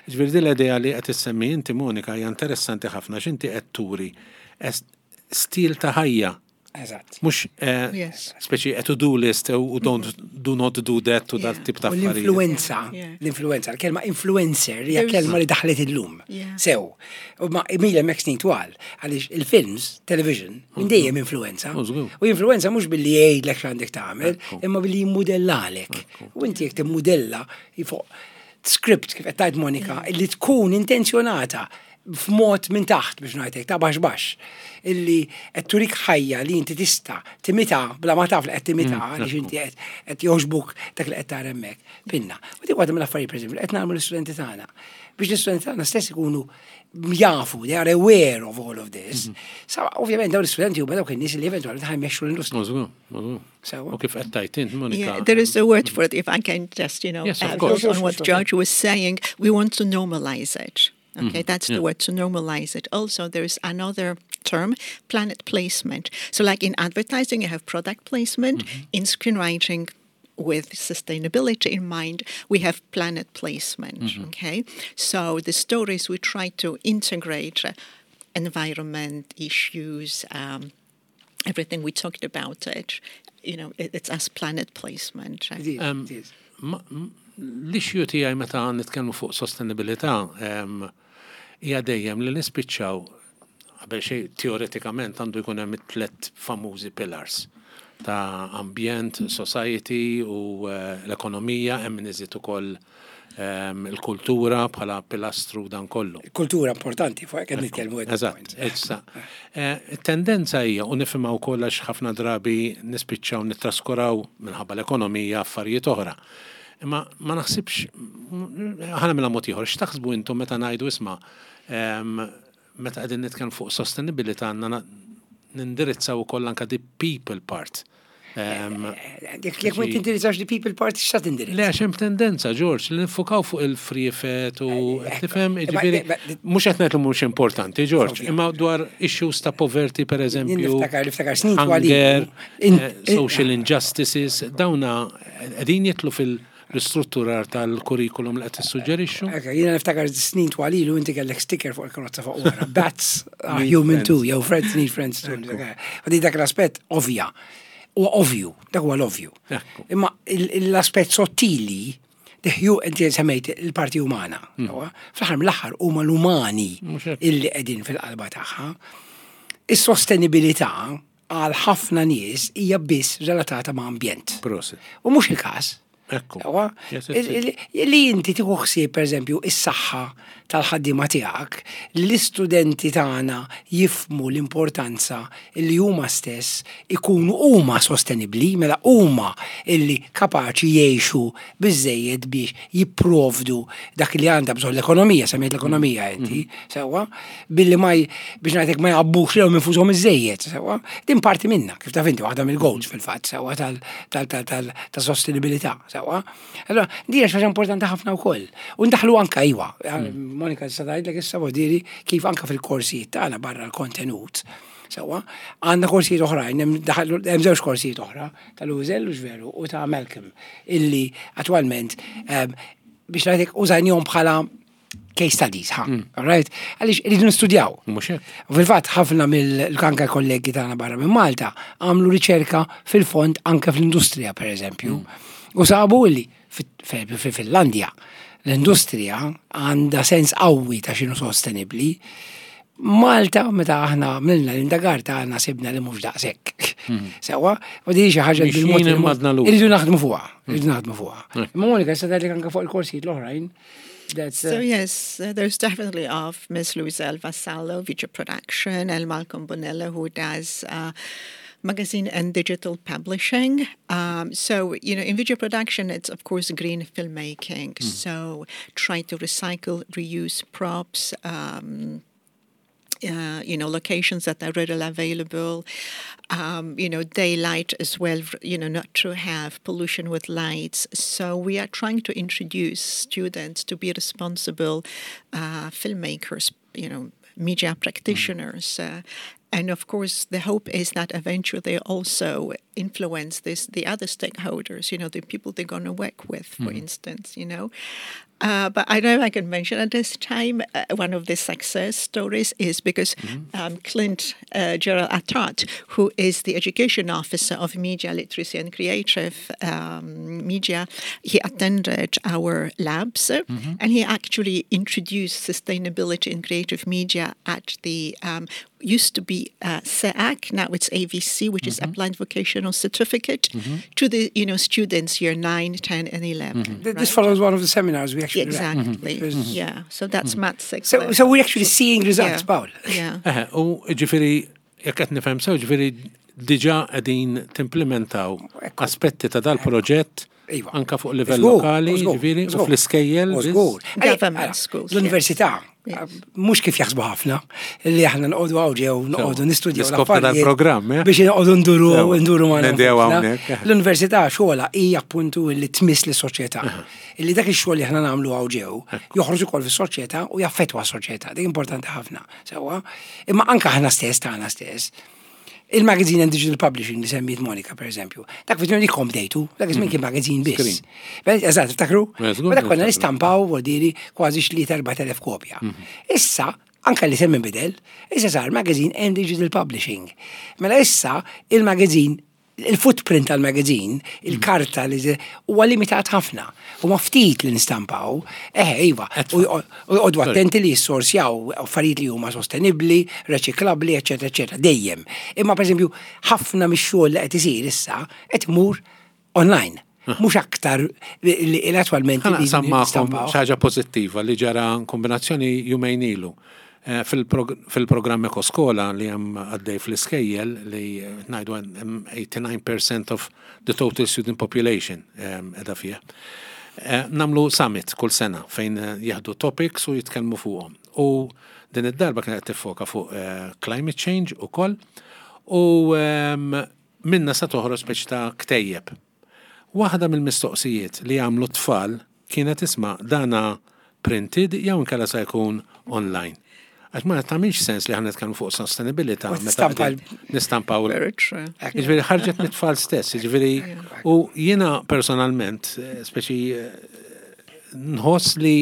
ġifieri din l-idea li qed issemmi inti Monika hija interessanti ħafna x'inti qed turi es- stil ta' ħajja. Eżatt. Mhux eh, Yes. speċi a to-do list u don't do not do that u dat tip ta' U affarijiet. l-influenza, Yeah. l-influenza, l-kelma influencer hija There's- kelma li daħlet illum. Yeah. Sew. U ma ilha hemmhekk snin twal, għaliex il-films, television, minn dejjem influenza. Oh, żgur. U influenza mhux billi jgħidlek x'għandek tagħmel, imma billi jimmudellalek. U inti jekk timmudella fuq script kif qed tgħid Monika, li tkun intenzjonata f'mod minn taħt biex ngħidlek ta' baxx baxx illi qed turik ħajja li inti tista' timita bla ma taf li qed timita għaliex inti qed qed jogħġbuk dak li qed tara hemmhekk. Pinna. U dik waħda mill-affarijiet pereżempju li qed nagħmlu l-istudenti tagħna biex l-istudenti tagħna stess ikunu jafu, they are aware of all of this. Sa ovvjament dawn l-istudenti huma dawk in-nies li eventwalment ħa jmexxu l-industrija. Żgur, żgur. Sewwa. U kif qed tajt int, Monika. Yeah, there is a word for it. If I can just, you know, Yes, of uh, course. build Sure, on sure, what sure. George was saying, we want to normalize it. Okay, that's yeah. the word, to normalize it. Also, there is another term, planet placement. So, like in advertising, you have product placement. In screenwriting, with sustainability in mind, we have planet placement. Okay, so the stories we try to integrate uh, environment issues, um, everything we talked about it. You know, it, it's as planet placement. It is, Um, it is. Ma- m- L-issue tiegħi meta nitkellmu fuq sostenibilità em, hija dejjem li nispiċċaw qabel xejn teoretikament għandu jkun hemm it-tlet famużi pillars ta' ambjent, society u eh, l-ekonomija, hemm min iżid ukoll em, il-kultura bħala pilastru dan kollu. Kultura importanti fuq qed nitkellmu at this Eżatt, point. issa. Eh, Tendenza hija, u nifhimha wkoll għax ħafna drabi nispiċċaw nittraskuraw minħabba l-ekonomija affarijiet oħra. Imma ma naħsibx, ħana mela mod ieħor, x'taħsbu intom meta ngħidu isma' em, meta qegħdin nitkellmu fuq sostenibilità għandna na- nindirizzaw ukoll anke the people part. Em, Jekk jekk ma tindirizzax the people part, x'ta tindirizza? Le, għax hemm tendenza, George, li nifukaw fuq il-friefet u tifhem, Ma- jiġifieri, ma- mhux qed ngħid li mhux importanti, George, Ovvja. imma dwar issues ta' poverty per eżempju, Niftakar, niftakar snin twal hunger, In- eh, social injustices, dawna qegħdin jidħlu fil-istrutturar tal-kurrikulum li qed tissuġġerixxu. Ekka, jiena niftakar snin twal ilu inti kellek sticker fuq il-karozza fuq wara. Bats are Need human friends. too, jew friends need friends too. U di dak l-aspett ovvja. U ovvju, dak huwa l-ovvju. Ekku. Imma il- l-aspett sottili, diħju inti semmejt il-parti umana. sewwa? Fl-aħħar mill-aħħar huma l-umani Mhux hekk. illi qegħdin fil-qalba tagħha. Is-sostenibilità għal ħafna nies hija biss relatata ma' ambjent. Prosit. U mhux il-każ. Ekku. Sewwa? Yes, yes, Il- il- Li inti tieħu ħsieb pereżempju is-saħħa tal-ħaddiema tiegħek, li l-istudenti tagħna jifhmu l-importanza li huma stess ikunu huma sostenibbli, mela huma illi kapaċi jgħixu biżejjed biex jipprovdu dak li għandha bżonn l-ekonomija, semmejt l-ekonomija inti, sewwa, billi ma j- biex ngħidlek ma jgħabbux lilhom infushom iżejjed, sewwa. Din parti minna, kif taf inti waħda mill-goals fil-fatt, sewwa tal tal tal tal ta' sostenibilità, sewwa. Allora, din hija xi ħaġa importanti ħafna wkoll. U ndaħlu anka iwa. Monika sa tgħidlek issa diri kif anka fil-korsijiet tagħna barra l-kontenut. Sewwa, għandna korsijiet oħrajn, hemm daħlu- hemm żewġ korsijiet oħra tal-Użel u veru u ta' Malcolm illi attwalment em, biex ngħidlek użajnihom bħala case studies, ha, all right? Għaliex irridu nistudjaw. Mhux hekk. U fil-fatt ħafna mill-anka kollegi tagħna barra minn Malta għamlu riċerka fil-fond anke fl-industrija per eżempju. U sabu illi fi- fi Finlandja l-industrija għandha sens qawwi ta' x'inhu sostenibbli. Malta, meta aħna għamilna l-indagar tagħna sibna li mhux daqshekk. Sewwa, u di xi ħaġa li Mixjin bil-mod imma għadna lura. Irridu naħdmu fuqha, irridu naħdmu fuqha. Imma Monika, issa tgħidlek anke fuq il-korsijiet l-oħrajn. That's, So uh, yes, uh, there's definitely of Miss Louiselle Vassallo, video production, and Malcolm Bonella, who does uh, magazine and digital publishing. Um, so, you know, in video production, it's of course green filmmaking. So try to recycle, reuse props. Um, uh, you know, locations that are readily available, um, you know, daylight as well, you know, not to have pollution with lights. So we are trying to introduce students to be responsible uh, filmmakers, you know, media practitioners. Uh, and of course, the hope is that eventually they also influence this the other stakeholders, you know, the people they're going to work with, for instance, you know. Uh, but I don't know if I can mention at this time, uh, one of the success stories is because um, Clint uh, Gerald Attard, who is the education officer of media literacy and creative um, media, he attended our labs uh, and he actually introduced sustainability in creative media at the um, used to be uh, S E A C, now it's A V C, which is Applied Vocational Certificate, to the you know students year nine, ten, and eleven. th- This right? follows one of the seminars we actually ran. Exactly. Because- Yeah. So that's Matt So, so we're actually seeing results, Yeah. Paul. Yeah. Eħe, u ġifieri, jekk qed nifhem sew, ġifieri diġà qegħdin timplementaw Ekku. aspetti ta' dal-proġett Iva. anka fuq livell Żgur, lokali, żgur, ġifieri, u żgur. fl-iskejjel. U biss. żgur. Government Ara, schools, L-università, Yes. mhux kif jaħsbu ħafna, li aħna noqogħdu hawn ġew, noqogħdu nistudjaw L-iskop ta' dal-programm, eh? biex noqogħdu nduru Sewa. nduru ma' Nendew hawnhekk, eh. L-università xogħla hija appuntu li tmiss lis-soċjetà. Illi dak ix-xogħol li aħna nagħmlu hawn ġew joħroġ ukoll fis-soċjetà u jaffettwa s-soċjetà. Dik importanti ħafna. Sewwa. Imma anke aħna stess tagħna stess. Il-magazine and digital publishing li semmiet Monika, per eżempju. Dak fit li kom bdejtu, dak iż-żmien kien magazine biss. Beh, eżatt, tiftakru? Eh, żgur Ma dak konna niftakru. nistampaw vuol kważi xi erbat elef kopja. Issa, anka li semmi bidel, issa sar magazine and digital publishing. Mela issa il-magazine, il-footprint tal-magazine, il-karta li huwa limitat ħafna. U ma ftit li nistampaw, eħe, iva, u għodu attenti li jissorsjaw affarijiet li huma sostenibbli, reċiklabbli, eċetera, eċetera, dejjem. Imma per eżempju, ħafna mix-xogħol li qed isir issa qed imur online. Mhux aktar li li attwalment Ħa li naqsam magħkom nistampaw. xi ħaġa pożittiva li ġara kombinazzjoni jumejn ilu. Eh, fil-prog- Fil-programm Ekoskola li hemm għaddej fl-iskejjel li eh, ngħidu hemm eighty-nine percent of the total student population em, qiegħda fih. Eh, Nagħmlu summit kull sena fejn eh, jieħdu topics u jitkellmu fuqhom. U din id-darba kienet tiffoka fuq eh, climate change ukoll u em, minna sa toħroġ speċi ta' ktejjeb. Waħda mill-mistoqsijiet li għamlu tfal kienet isma' dana printed jew inkella sa jkun online. Għax ma tagħmilx sens li aħna nitkellmu fuq sostenibilità U meta tistampa qegħdin nistampaw. Very true. Ġifieri ħarġet mit-tfal stess, ġifieri u jiena personalment, eh, speċi eh, nħoss li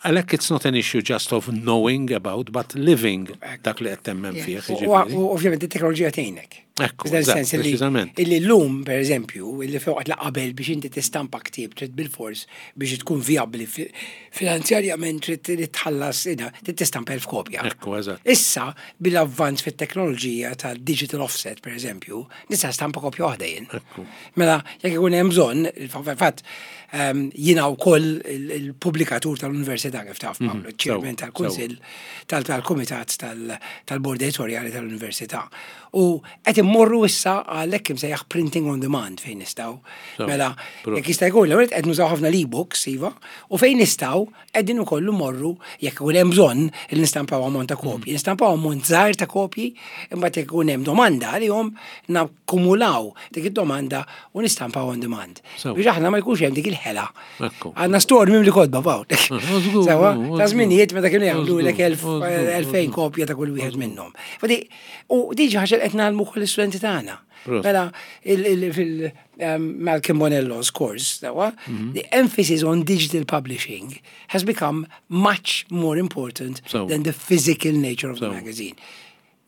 għalhekk it's not an issue just of knowing about, but living dak li qed temmen Yes. fih. U Ġifieri. u ovvjament it-teknoloġija tgħinek. Ekku, F'dan eżatt, sens illi- preċiżament. Illi l-lum, per eżempju, illi fejn la qabel biex inti tistampa ktieb trid bil-fors biex tkun viabli fi- finanzjarjament trid trid tħallas ina, trid tistampa elf kopja. Ekku, eżatt. Issa, bil-avvanz fit-teknoloġija tal-digital offset, per eżempju, nista' stampa kopja waħda jien. Ekku. Mela, jekk ikun hemm bżonn, il-fatt ehm, jiena wkoll il- il-pubblikatur tal-Università kif taf, Paolo, chairman sew, tal-Kunsill tal-Kumitat tal-Bord Editorjali tal-Università. U qed immorru issa għalhekk imsejjaħ printing on demand fejn nistgħu. Sew, Mela, pro. jekk jista' jkun, l-ewwel qed nużaw ħafna l-ebooks, iva, u fejn nistgħu qegħdin ukoll morru jekk ikun hemm bżonn li nistampaw ammont ta' kopji. Nistampaw ammont żgħir ta' kopji, imbagħad jekk ikun hemm domanda għalihom nakkumulaw dik id-domanda u nistampaw on demand. Sew. Biex aħna ma jkunx hemm dik il-ħela. Ekku. Għandna store mimli kotba Pawl. żgur, Sewa, żgur. ta' żminijiet meta kienu jagħmlu lek elf- Żgur, żgur, elfejn kopja ta' kull wieħed minnhom. Fadi, U diġi ħaġa li qed ngħallmu kull l-istudenti tagħna. Prost. Mela, il- il- fil um, Malcolm Bonello's course, sewa, the emphasis on digital publishing has become much more important So. than the physical nature of the So. magazine.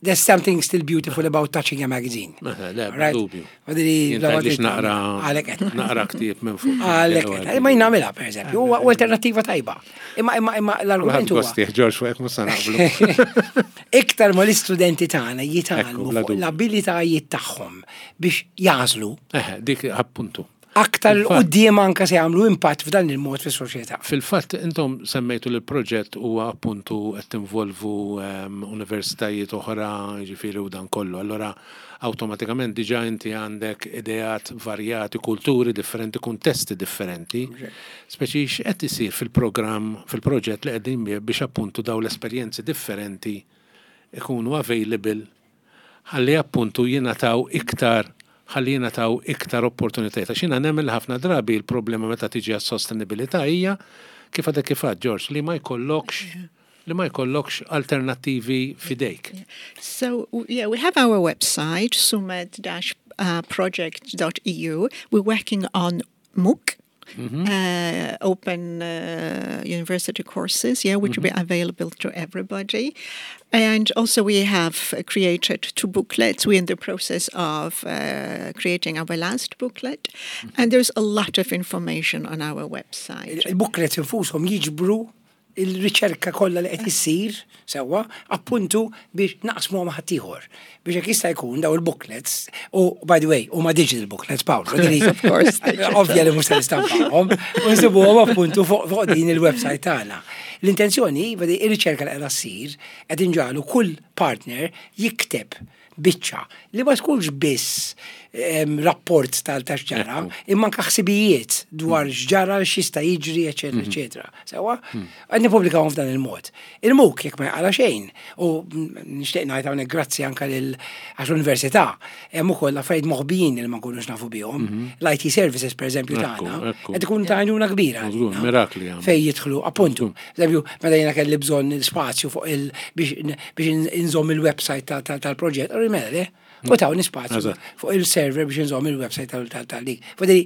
There's something still beautiful about touching a magazine. Mela, le, bla Right? dubju. Fadili, Jien bla tgħidlix ma naqra Għalek qed. naqra ktieb minn fuq. Għalek qed. Ma jien nagħmilha, per eżempju, huwa huwa alternattiva tajba. Imma imma imma l-argument huwa Gosti, George, fuq hekk mhux se naqblu. iktar ma l-istudenti tagħna Ekku, jitgħallmu bla fuq dubju. l-abilitajiet tagħhom biex jażlu Eħe, dik appuntu. aktar Fil-fatt- quddiem anka se jagħmlu impatt f'dan il-mod fis-soċjetà. Fil-fatt, intom semmejtu li l-proġett huwa appuntu qed tinvolvu ehm, universitajiet oħra, ġifieri u dan kollu. Allora, awtomatikament diġà inti għandek ideat varjati, kulturi differenti, kuntesti differenti. Speċi x'qed isir fil-programm, fil-proġett li qegħdin bih biex appuntu daw l-esperjenzi differenti ikunu available ħalli appuntu jingħataw iktar ħalli jingħataw iktar opportunitajiet. Għax jiena nemmen li ħafna drabi il-problema meta tiġi għas-sostenibilità hija kif għadek kif għad, George, li ma jkollokx li ma jkollokx alternattivi fidejk. So w- yeah, we have our website, sumed dash project dot E U. We're working on MOOC, uh, open uh, university courses, yeah, which will be available to everybody. And also we have uh, created two booklets. We're in the process of uh, creating our last booklet. And there's a lot of information on our website. Il-booklets infushom jiġbru il-riċerka kollha li qed issir sewwa appuntu biex naqsmu ma' ħaddieħor. Biex jekk jista' jkun daw il-booklets u by the way huma digital booklets Paul. Of course, digital. Ovvja li mhux se nistampawhom u nsibuhom appuntu fuq fuq din il-website tagħna. L-intenzjoni vedi ir-riċerka li qiegħda ssir qed inġagħlu kull partner jikteb biċċa li ma tkunx biss em, rapport tal ta' x'ġara, imma anka ħsibijiet dwar x'ġara, x'jista' jiġri, eċetera, eċetera. Sewa, qed nippubblikawhom f'dan il-mod. Il-MOOC jekk ma jaqala xejn, u nixtieq ngħid hawnhekk grazzi anka lil għax l-università, hemm ukoll affarijiet moħbijin li ma nkunux nafu bihom. L-I T services pereżempju Ekku, tagħna, ekku. qed ikun ta' għajnuna kbira. Żgur, għalina. mirakli għamlu. Fej jidħlu, appuntu. Eżempju, meta jiena kelli bżonn spazju fuq il biex biex inżomm il-website ta- ta- tal-proġett, u mela le, u tawni spazju Eżatt. fuq il-server biex inżomm il-website tal-dik. Fadili,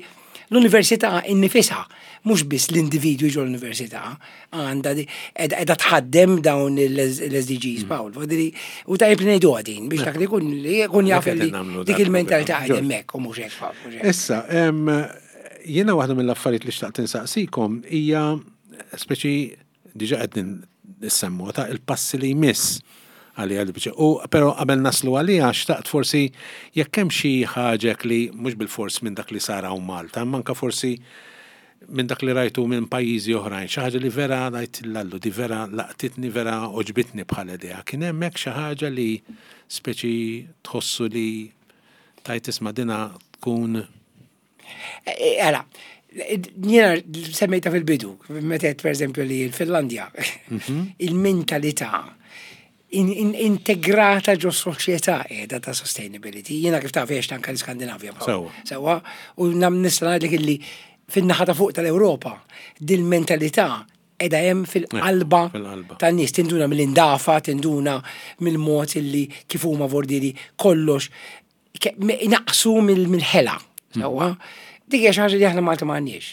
l-università innifisha, mhux biss l-individwi ġo l-università, għandha di- edha tħaddem dawn l-S D Gs, Paul. Fadili, u tajjeb li ngħidu għadin biex dak li jkun li jkun jaf qed li nagħmlu dik dak il-mentalità il-programm. qegħda hemmhekk u mhux hekk, Paul, mhux hekk. Issa, em, jiena waħda mill-affarijiet li xtaqt insaqsikom hija speċi diġa qed nissemmu ta' il-passi li jmiss għalija li biċe. U però qabel naslu għalija xtaqt forsi jekk hemm xi ħaġa li mhux bil-fors minn dak li sar hawn Malta, imma anka forsi minn dak li rajtu minn pajjiżi oħrajn, xi ħaġa li vera ngħid lallu, di vera laqtitni, vera oġbitni bħala idea. Kien hemmhekk xi ħaġa li speċi tħossu li tajt isma' dina tkun Għala, jiena semmejta fil-bidu, meta per eżempju li l-Finlandja, il-mentalità in, in, integrata ġo soċjetà qiegħda ta' sustainability. Jiena kif taf għext anka l-Skandinavja. Paul. Sewwa. Sewwa, u nam nista' ngħidlek illi fin-naħa ta' fuq tal-Ewropa dil-mentalità qiegħda hemm fil-qalba fil-qalba. tan-nies, tinduna mill-indafa, tinduna mill-mod illi kif huma vordiri kollox ke- me- naqsu mill- mill-ħela. Sewwa, dik hija xi ħaġa li aħna Malta m'għandniex.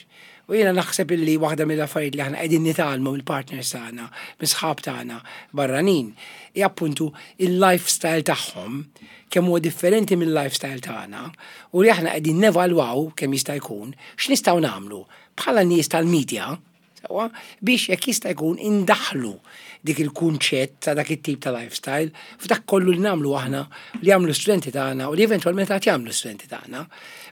U jiena naħseb illi waħda mill-affarijiet li aħna qegħdin nitgħallmu mill-partners tagħna, mis-sħab tagħna barranin, hija appuntu il-lifestyle tagħhom kemm huwa differenti mill-lifestyle tagħna u li aħna qegħdin nevalwaw kemm jista' jkun x'nistgħu nagħmlu bħala nies tal-medja, sewwa, biex jekk jista' jkun indaħlu dik il-kunċett ta' dak it-tip ta' lifestyle f'dak kollu li nagħmlu aħna, li jagħmlu studenti tagħna u li eventwalment għad jagħmlu studenti tagħna.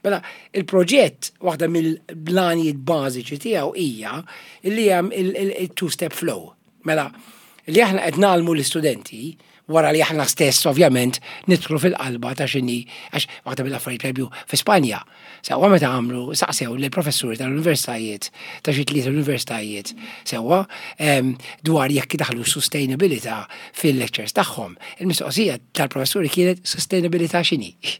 Mela, il-proġett waħda mill-blanijiet bażiċi tiegħu hija li hemm il-two-step flow. Mela, li aħna qed ngħallmu l-istudenti wara li aħna stess ovvjament nidħlu fil-qalba ta' x'inhi, għax waħda mill-affarijiet, pereżempju, fi Spanja. Sewwa, meta għamlu saqsew lill professuri tal-universitajiet, ta' xi tliet universitajiet, sewwa, em, dwar jekk daħlu sustainability fil-lectures tagħhom. Il-mistoqsija tal-professuri kienet: "Sustainability x'inhi?"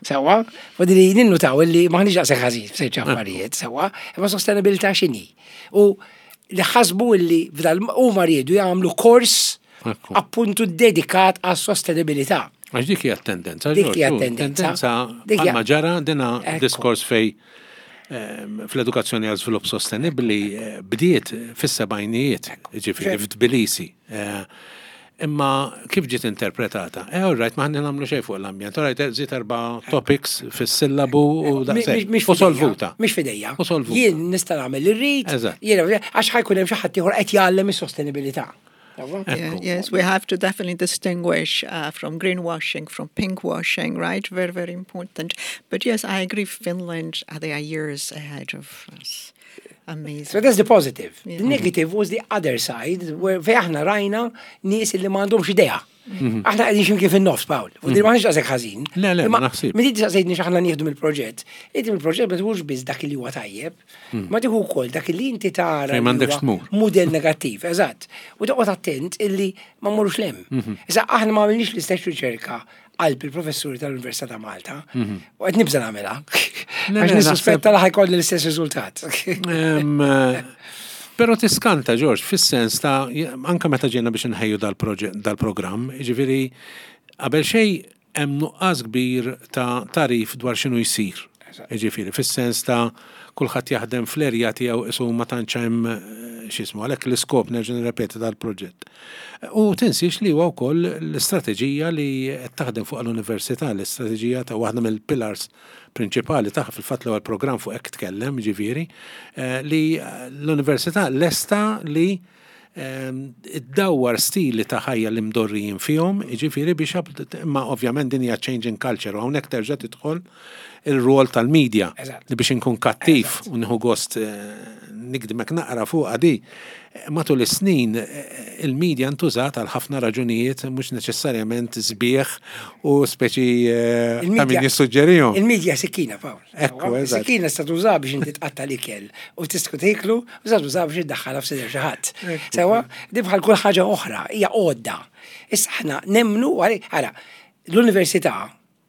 Sewwa, u di li ninnutaw li m'aħniex daqshekk ħażin f'ċerti affarijiet, sewwa, imma sustainability x'inhi? U li ħasbu li f'dal huma riedu jagħmlu kors Ekku. appuntu dedikat għas sostenibilità. Għax dik hija tendenza. Dik hija George, tendenza. Tendenza Dik hija- bħalma ġara dina Ekku. diskors fej ehm, fl-edukazzjoni għal żvilupp sostenibbli eh, bdiet fis-sebgħinijiet, ġifieri f'Tbilisi. Eh, Imma kif ġiet interpretata? Eh, all right, ma ħanni nagħmlu xejn fuq l-ambjent. All right, żid erba' topics fis-sillabu u daqshekk. Mhix U solvuta. Mhix f'idejja. U solvuta. Jien nista' nagħmel li rrid, Eżatt. jien għax ħa jkun hemm xi ħadd ieħor qed jgħallem is-sostenibilità. Yeah, yes, we have to definitely distinguish uh, from greenwashing, from pinkwashing, right? Very, very important. But yes, I agree. Finland, uh, they are years ahead of us. Amazing. So that's the positive. Yeah. The negative was the other side, where fej aħna rajna nies li m'għandhomx idea. Aħna qegħdin x'imkien fin-nofs, Paul. U din m'aħniex daqshekk ħażin. Le, le, Imma ma naħsibx. Meta inti saqsejtni x'aħna nieħdu mill-proġett, inti mill-proġett ma tieħux biss dak li huwa tajjeb, ma tieħu wkoll dak li inti tara Fejn li m'għandekx huwa tmur. mudell negattiv, eżatt. U toqgħod attent illi ma mmorrux 'l hemm. Issa aħna ma għamilniex l-istess riċerka qalb il-professuri tal-Università ta' Malta. U qed nibża nagħmilha. Le, Għax le, nissuspetta li ħa jkolli l-istess riżultat. Em, eh, Però tiskanta, George, fis-sens ta' anka meta ġejna biex nħejju dal-proġett, dal-programm, ġifieri, qabel xejn hemm nuqqas kbir ta' tagħrif dwar x'inhu jsir. Ġifieri, fis-sens ta' kulħadd jaħdem fl-erja tiegħu isu ma tantx hemm eh, x'ismu, għalhekk l-iskop, nerġa' nirrepeti, dal-proġett. U tinsiex li huwa wkoll l-istrateġija li qed taħdem fuq l-università, l-istrateġija ta' waħda mill-pillars prinċipali tagħha, fil-fatt l-ewwel programm fuq hekk tkellem, ġifieri, eh, li l-università lesta li ehm, iddawwar stili ta' ħajja li mdorrijin fihom, ġifieri biex ab- imma ovvjament din hija change in culture u hawnhekk terġa' tidħol il-rol tal-media Eżatt. li biex inkun kattiv u nieħu gost eh, nikdimek naqra fuq di. Matul is-snin eh, il-media ntużat għal ħafna raġunijiet mhux neċessarjament sbieħ u speċi eh, ta' min jissuġġerihom. Il-medja sikkina, Paul. Ekku, eżatt. Sikkina sta tuża biex inti tqatta l-ikel u tistku tiklu, u sta tuża biex iddaħħalha f'sider xi ħadd. Sewwa, di bħal kull ħaġa oħra, hija għodda. Issa aħna nemmnu, ara, l-università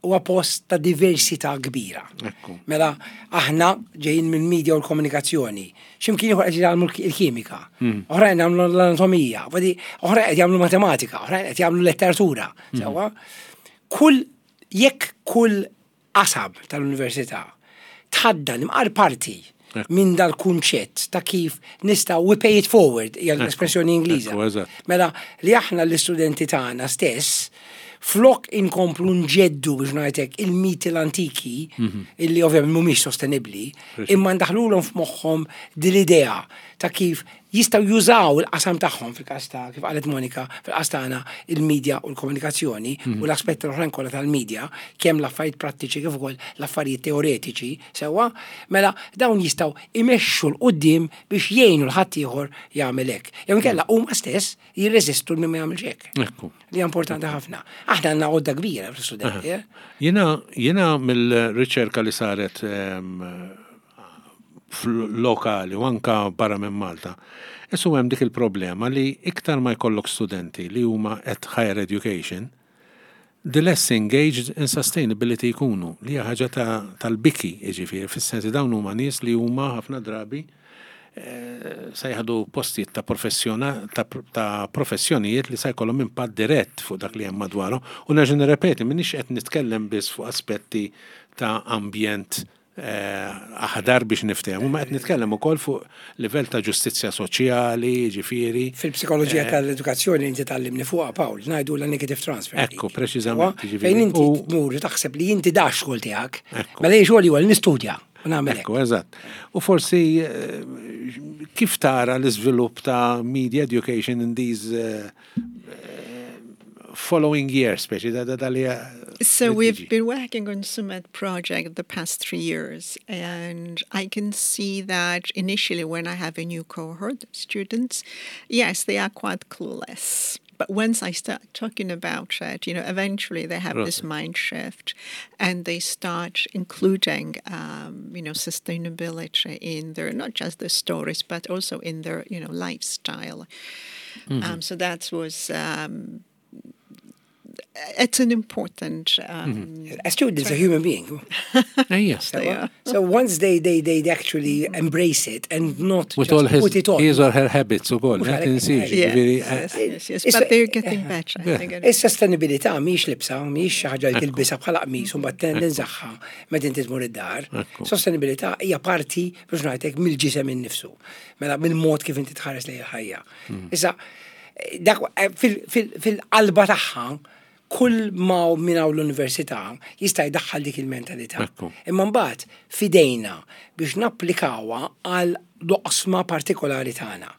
huwa post ta' diversità kbira. Ekku. Mela, aħna ġejjin minn media u l-komunikazzjoni. X'imkien ieħor qed jagħmlu il-kimika, oħrajn jagħmlu l-anatomija, vadi, oħrajn qed jagħmlu matematika, oħrajn qed jagħmlu letteratura. Sewwa, kull jekk kull qasam tal-università tħaddan imqar parti Ekku. minn dal-kunċett ta' kif nistgħu we pay it forward, hija l-espressjoni Ingliża. Ekku, eżatt. Mela li aħna l-istudenti tagħna stess flok inkomplu nġeddu, biex ngħidlek, il-miti l-antiki illi ovvjament mhumiex sostenibbli, imma ndaħlulhom f'moħħhom din l-idea ta' kif jistgħu jużaw il-qasam tagħhom, fil-każ ta' kif qalet Monika, fil-każ tagħna il-media u l-komunikazzjoni u l-aspetti l-oħrajn kollha tal-media, kemm l-affarijiet prattiċi kif ukoll l-affarijiet teoretiċi, sewwa, mela dawn jistgħu imexxu 'l quddiem biex jgħinu 'l ħaddieħor jagħmel hekk. Jew inkella huma stess jirreżistu li ma jagħmilx hekk. Ekku. Li hija importanti ħafna. Aħna għandna għodda kbira fl-istudenti. eh? Jiena, jiena mill-riċerka li saret em, fl-lokali u anka barra minn Malta, Isu hemm dik il-problema li iktar ma jkollok studenti li huma at higher education, the less engaged in sustainability jkunu, li hija ħaġa ta- tal-biki, jiġifieri, fis-sensi dawn huma nies li huma ħafna drabi eh, se jieħdu postijiet ta' professjona ta', ta' professjonijiet li se jkollhom impatt dirett fuq dak li hemm madwarhom. U nerġa' nirrepeti, m'iniex qed nitkellem biss fuq aspetti ta' ambjent eh, aħdar biex niftehmu, ma qed nitkellem ukoll fuq livell ta' ġustizzja soċjali, ġifieri. Fil-psikoloġija tal-edukazzjoni inti tgħallimni fuqha, Paul, ngħidu la negative transfer. Ekku, preċiżament, Sewwa? ġifieri. Fejn inti U- tmur u taħseb li inti da xogħol tiegħek, Ekku. mela jien xogħli huwa li nistudja u nagħmel hekk. Ekku, eżatt. U forsi eh, kif tara l-iżvilupp ta' media education in these eh, eh, following years, speċi da da da li So li we've tiġi. been working on SUMED project the past three years, and I can see that initially when I have a new cohort of students, yes, they are quite clueless. But once I start talking about it, you know, eventually they have this mind shift and they start including, um, you know, sustainability in their, not just their stories, but also in their, you know, lifestyle. Um, so that was, um, it's an important um, A student is a human being. Ejja. they are. So once they, they, they actually embrace it and not With just all his, put it on. his or her habits u koll, Mhux għalhekk- tinsiex, Yes, ġifieri, yes, yes, yes. It's- But they're getting better. Yeah. They're getting Is-sostenibilità mhix libsa, mhix xi ħaġa li tilbisha bħala qmis u mbagħad tinżagħha meta inti tmur id-dar. Ekku. Sostenibilità hija parti biex ngħidlek mill-ġisem innifsu. Mela mill-mod kif inti tħares lejn il-ħajja. Issa dak fil- fil- fil-qalba tagħha kull ma minn hawn l-università jista' jdaħħal dik il-mentalità. Ekku. Imma mbagħad fidejna biex napplikawha għal doqsma partikolari tagħna.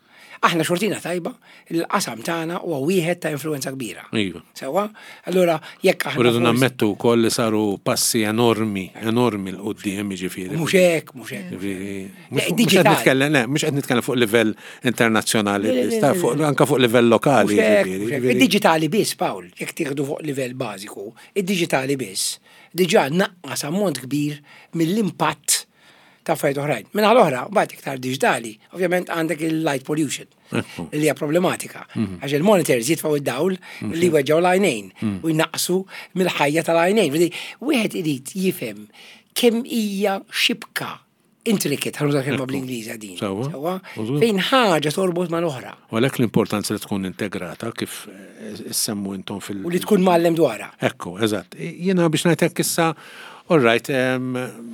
Aħna xortina tajba, il-qasam tagħna huwa wieħed ta' influenza kbira. Iva. Sewwa? Allura jekk aħna U rridu forsi- nammettu wkoll li saru passi enormi, enormi 'l quddiem ġifieri. Mhux hekk, mhux hekk. Ġifieri, Le, Mhux mhux qed digital. nitkellem, le, mhux qed nitkellem fuq livell internazzjonali, Le, le, le, biss, ta' le, fuq- le. anka fuq livell lokali. Mhux hekk, ġifieri, mhux hekk. ġifieri. Id-diġitali biss, Paul, jekk tieħdu fuq livell bażiku, id-diġitali biss diġà naqqas ammont kbir mill-impatt ta' affarijiet oħrajn. Minna l-oħra, mbagħad iktar diġitali, ovvjament għandek il-light pollution Ekku. li hija problematika. Għax il-monitors jitfgħu id-dawl li weġġaw l-għajnejn u jnaqsu mill-ħajja tal-għajnejn. Vedi, Wieħed irid jifhem kemm hija xibka intricate, ħa nuża kelma bl-Ingliż din. Sewwa. Sewwa? Użgur. Fejn ħaġa torbot mal-oħra U għalhekk l-importanza li tkun integrata kif eh, semmu intom fil- u li tkun mgħallem dwarha. Ekku, eżatt. Jiena biex ngħidlek issa, all right, em,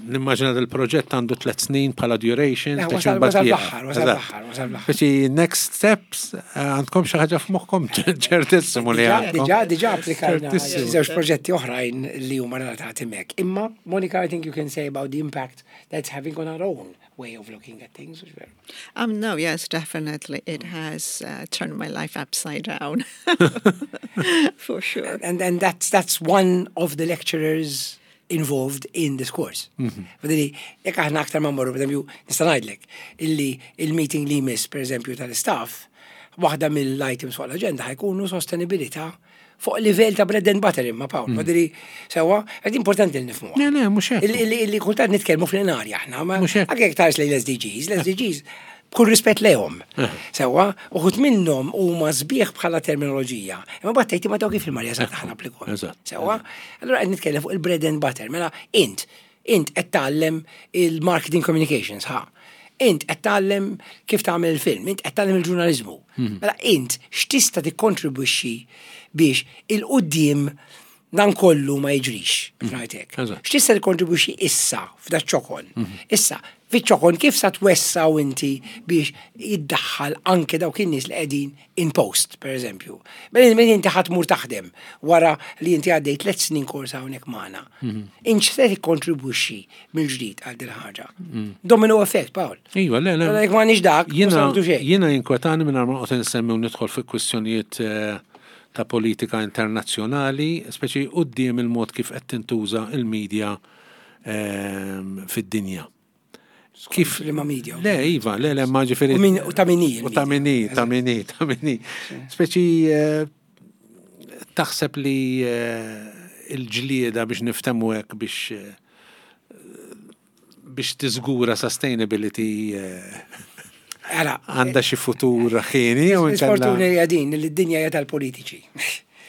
nimmaġina del-proġett għandu tliet snin bħala duration. Eh, speċi wasal- mbagħad wasal jieqaf. fl-aħħar, wasal Eżatt. fl-aħħar, wasal fl-aħħar. Speċi next steps, eh, għandkom xi ħaġa f'moħħkom ċertissimu li Diġà, għandkom. diġà, diġà applikajna Ċertissimu. żewġ proġetti oħrajn li huma relatati mek. Imma, Monica, I think you can say about the impact that's having on our own way of looking at things. Which very- Um, no, yes, definitely. It has uh, turned my life upside down, for sure. And, and that's, that's one of the lecturers involved in this course. Fadili, jekk aħna aktar ma mmorru, per eżempju, nista' ngħidlek illi il-meeting li jmiss, per eżempju, tal-staff, waħda mill-items fuq l-agenda ħa jkunu sostenibilità fuq livell ta' bread and butter imma Paul. Fadili, sewwa, għad importanti li nifhmuha. Le, le, mhux hekk. Illi illi- illi kultant nitkellmu fl-inarja aħna, ma Mhux hekk. anke jekk tħares lejn l-SDGs, l-SDGs b'kull rispett lejhom. Sewwa, uħud minnhom huma sbieħ bħala terminoloġija. Imma mbagħad tgħid ma daw kif il-Marja sa taħna applikom. Eżatt. Sewwa, allura qed nitkellem fuq il-bread and butter. Mela int, int qed tgħallem il-marketing communications, ha. Int qed tgħallem kif tagħmel il-film, int qed tgħallem il-ġurnaliżmu. Mela int x'tista' tikkontribwixxi biex il-quddiem dan kollu ma jiġrix, biex ngħidlek. Eżatt. X'tista' tikkontribwixxi issa f'da ċokon? Issa, fiċ-ċokon kif sa twessaw inti biex jiddaħħal anke dawk in-nies li qegħdin in post, per eżempju. Mela mela inti ħa tmur taħdem wara li inti għaddej tliet snin korsa hawnhekk magħna. Int se tikkontribwixxi mill-ġdid għal din ħaġa. Domino effect, Paul. Iva, le, le. Mela jekk m'għandniex dak, mhux Jiena nagħmlu xejn. jiena jinkwetani minn ma noqgħod insemmi u nidħol fi kwistjonijiet eh, ta' politika internazzjonali, speċi quddiem il-mod kif qed tintuża il-medja ehm, fid-dinja. Kif Li ma media. Le, Iva, le, le, ma ġifieri. U min- u ta' min hi U ta' il-media. min hi, ta' min hi, ta' min hi. Speċi eh, taħseb li eh, il-ġlieda biex niftemu hekk biex eh, biex tiżgura sustainability eh, Ara, għandha xi futur ħieni jew L-isfortuna inkella hija din li d-dinja hija tal-politiċi.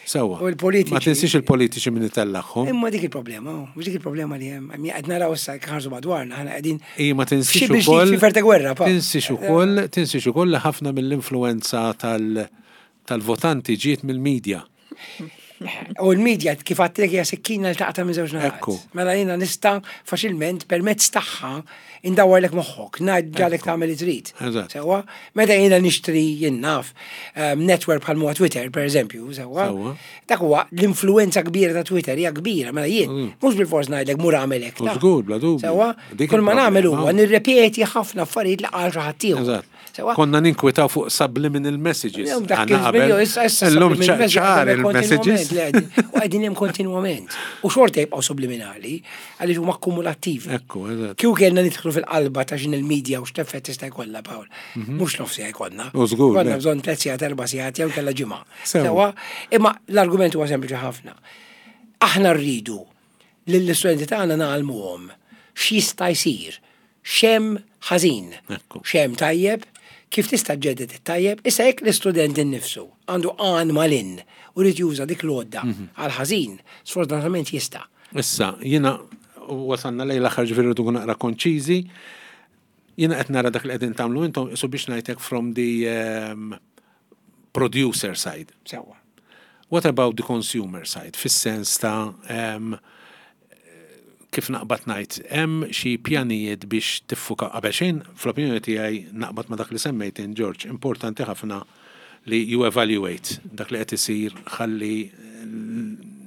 sewwa. U l-politiċi- Ma tinsiex il-politiċi min itellagħhom. Imma dik il-problema, oh, mhux dik il-problema li hemm. Għammi qed naraw issa ħarsu madwarna, aħna qegħdin Ija ma tinsiex f'xi biex ukoll fi ferta gwerra, pa. Tinsiex ukoll, tinsiex ukoll li ħafna mill-influenza tal tal-votanti ġiet mill-medja. U l-medja kif għedtlek hija sikkina li taqta' minn żewġ naħat. Ekku. Mela jiena nista' faċilment permezz tagħha indawwarlek moħħok, ngħidlek tagħmel li trid. Eżatt. Sewwa, meta jiena nixtri jien naf um, network bħal huwa Twitter, per eżempju, sewwa. Sewwa. Dak huwa l-influenza kbira ta' Twitter hija kbira, mela jien mhux bil-fors ngħidlek mur agħmel hekk. U ta' żgur, bla dubju. Sewwa, Dik kull ma il-problema. nagħmel huwa nirrepeti ħafna affarijiet li qal xi ħadd ieħor. Eżatt. Sewwa. Konna ninkwitaw fuq subliminal messages. Illum dak Għanna il-żmien, qabel. issa- issa Illum subliminal messages ċar qegħdin il-messages. kontinwament, le, qegħdin- U qegħdin hemm kontinwament. U xorta jibqgħu subliminali għaliex huma akkumulattivi. Ekku, eżatt. Kieku kellna nidħlu fil-qalba ta' x'inhi il-media u x'effett tista' jkollha Paul. Mhux nofs siegħa jkollna. U żgur, Konna le. bżonn tliet sigħat, erba' sigħat jew kellha ġimgħa. Sewwa. Sewwa, imma l-argument huwa sempliċi ħafna. Aħna rridu lill-istudenti tagħna ngħallmuhom x'jista' jsir, x'hemm ħażin, Ekku. x'hemm tajjeb, kif tista' ġġedded it-tajjeb, issa jekk l-istudent innifsu għandu għan malinn u jrid juża dik l-għodda għal ħażin, sfortunatament jista'. Issa, jiena wasalna lejn l-aħħar ġifieri rridu naqra konċiżi. Jiena qed nara dak li qegħdin tagħmlu intom isu biex ngħidlek from the um, producer side. Sewwa. What about the consumer side? Fis-sens ta' um, kif naqbad ngħid, hemm xi pjanijiet biex tiffuka qabel xejn, fl-opinjoni tiegħi naqbad ma dak li semmejt in George, importanti ħafna li you evaluate dak li qed isir ħalli eh,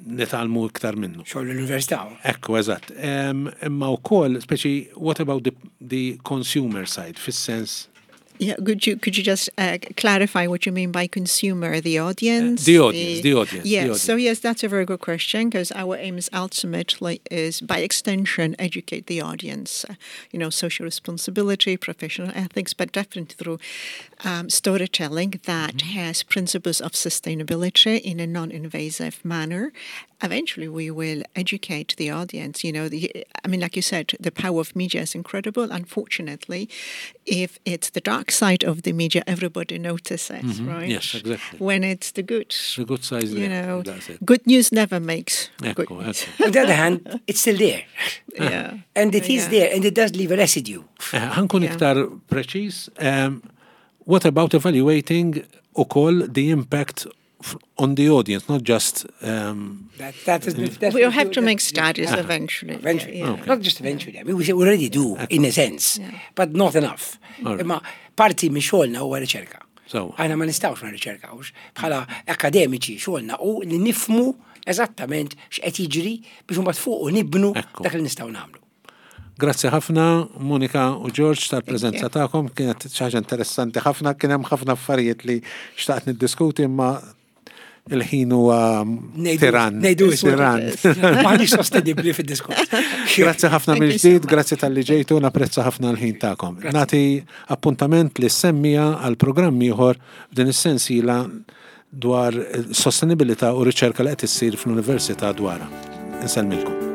nitgħallmu iktar minnu. Xogħol l-università. Ekku, eżatt. Em, Imma wkoll, speċi, what about the, the consumer side, fis-sens Yeah, could you could you just uh, clarify what you mean by consumer, the audience? the audience, the audience, the Yes. audience. So yes, that's a very good question because our aim is ultimately is by extension educate the audience. Uh, you know, social responsibility, professional ethics, but definitely through um, storytelling that Mm-hmm. has principles of sustainability in a non-invasive manner. Eventually, we will educate the audience. You know, the, I mean, like you said, the power of media is incredible. Unfortunately, if it's the dark side of the media, everybody notices, right? Mm-hmm. Yes, exactly. When it's the good, The good side is you there, know, that's it. good news never makes good Ekku, news. ekku. On the other hand, it's still there. Yeah. And it is Yeah. there, and it does leave a residue. Eh, Ħa nkun Yeah. iktar preċiż. Um, what about evaluating ukoll the impact f- on the audience, not just um, That, that is, that's We'll have to that- make studies eventually. Eventually. Yeah. Not just eventually. I mean, we already do, in a sense, but not enough. All right. Imma parti minn xogħolna huwa riċerka. So. Aħna ma nistgħux ma nirriċerkawx. Bħala akademiċi xogħolna u li nifhmu eżattament x'qed jiġri biex imbagħad fuq u nibnu Ekku. dak li nistgħu nagħmlu. Grazzi ħafna Monika u George tal-preżenza tagħkom, kienet xi ħaġa interessanti ħafna, kien hemm ħafna affarijiet li xtaqt niddiskuti imma il-ħin huwa Ngħidu- tiran. ngħidu Tiran. M'aħniex sostenibbli fid-diskors. Grazzi ħafna Thank you so mill-ġdid, much. grazzi talli ġejtu, napprezza ħafna l-ħin tagħkom. Nagħti appuntament lis-semmiegħa għal programm ieħor f'din is-sensiela dwar sostenibilità u riċerka li qed issir fl-Università dwarha. Insellmilkom.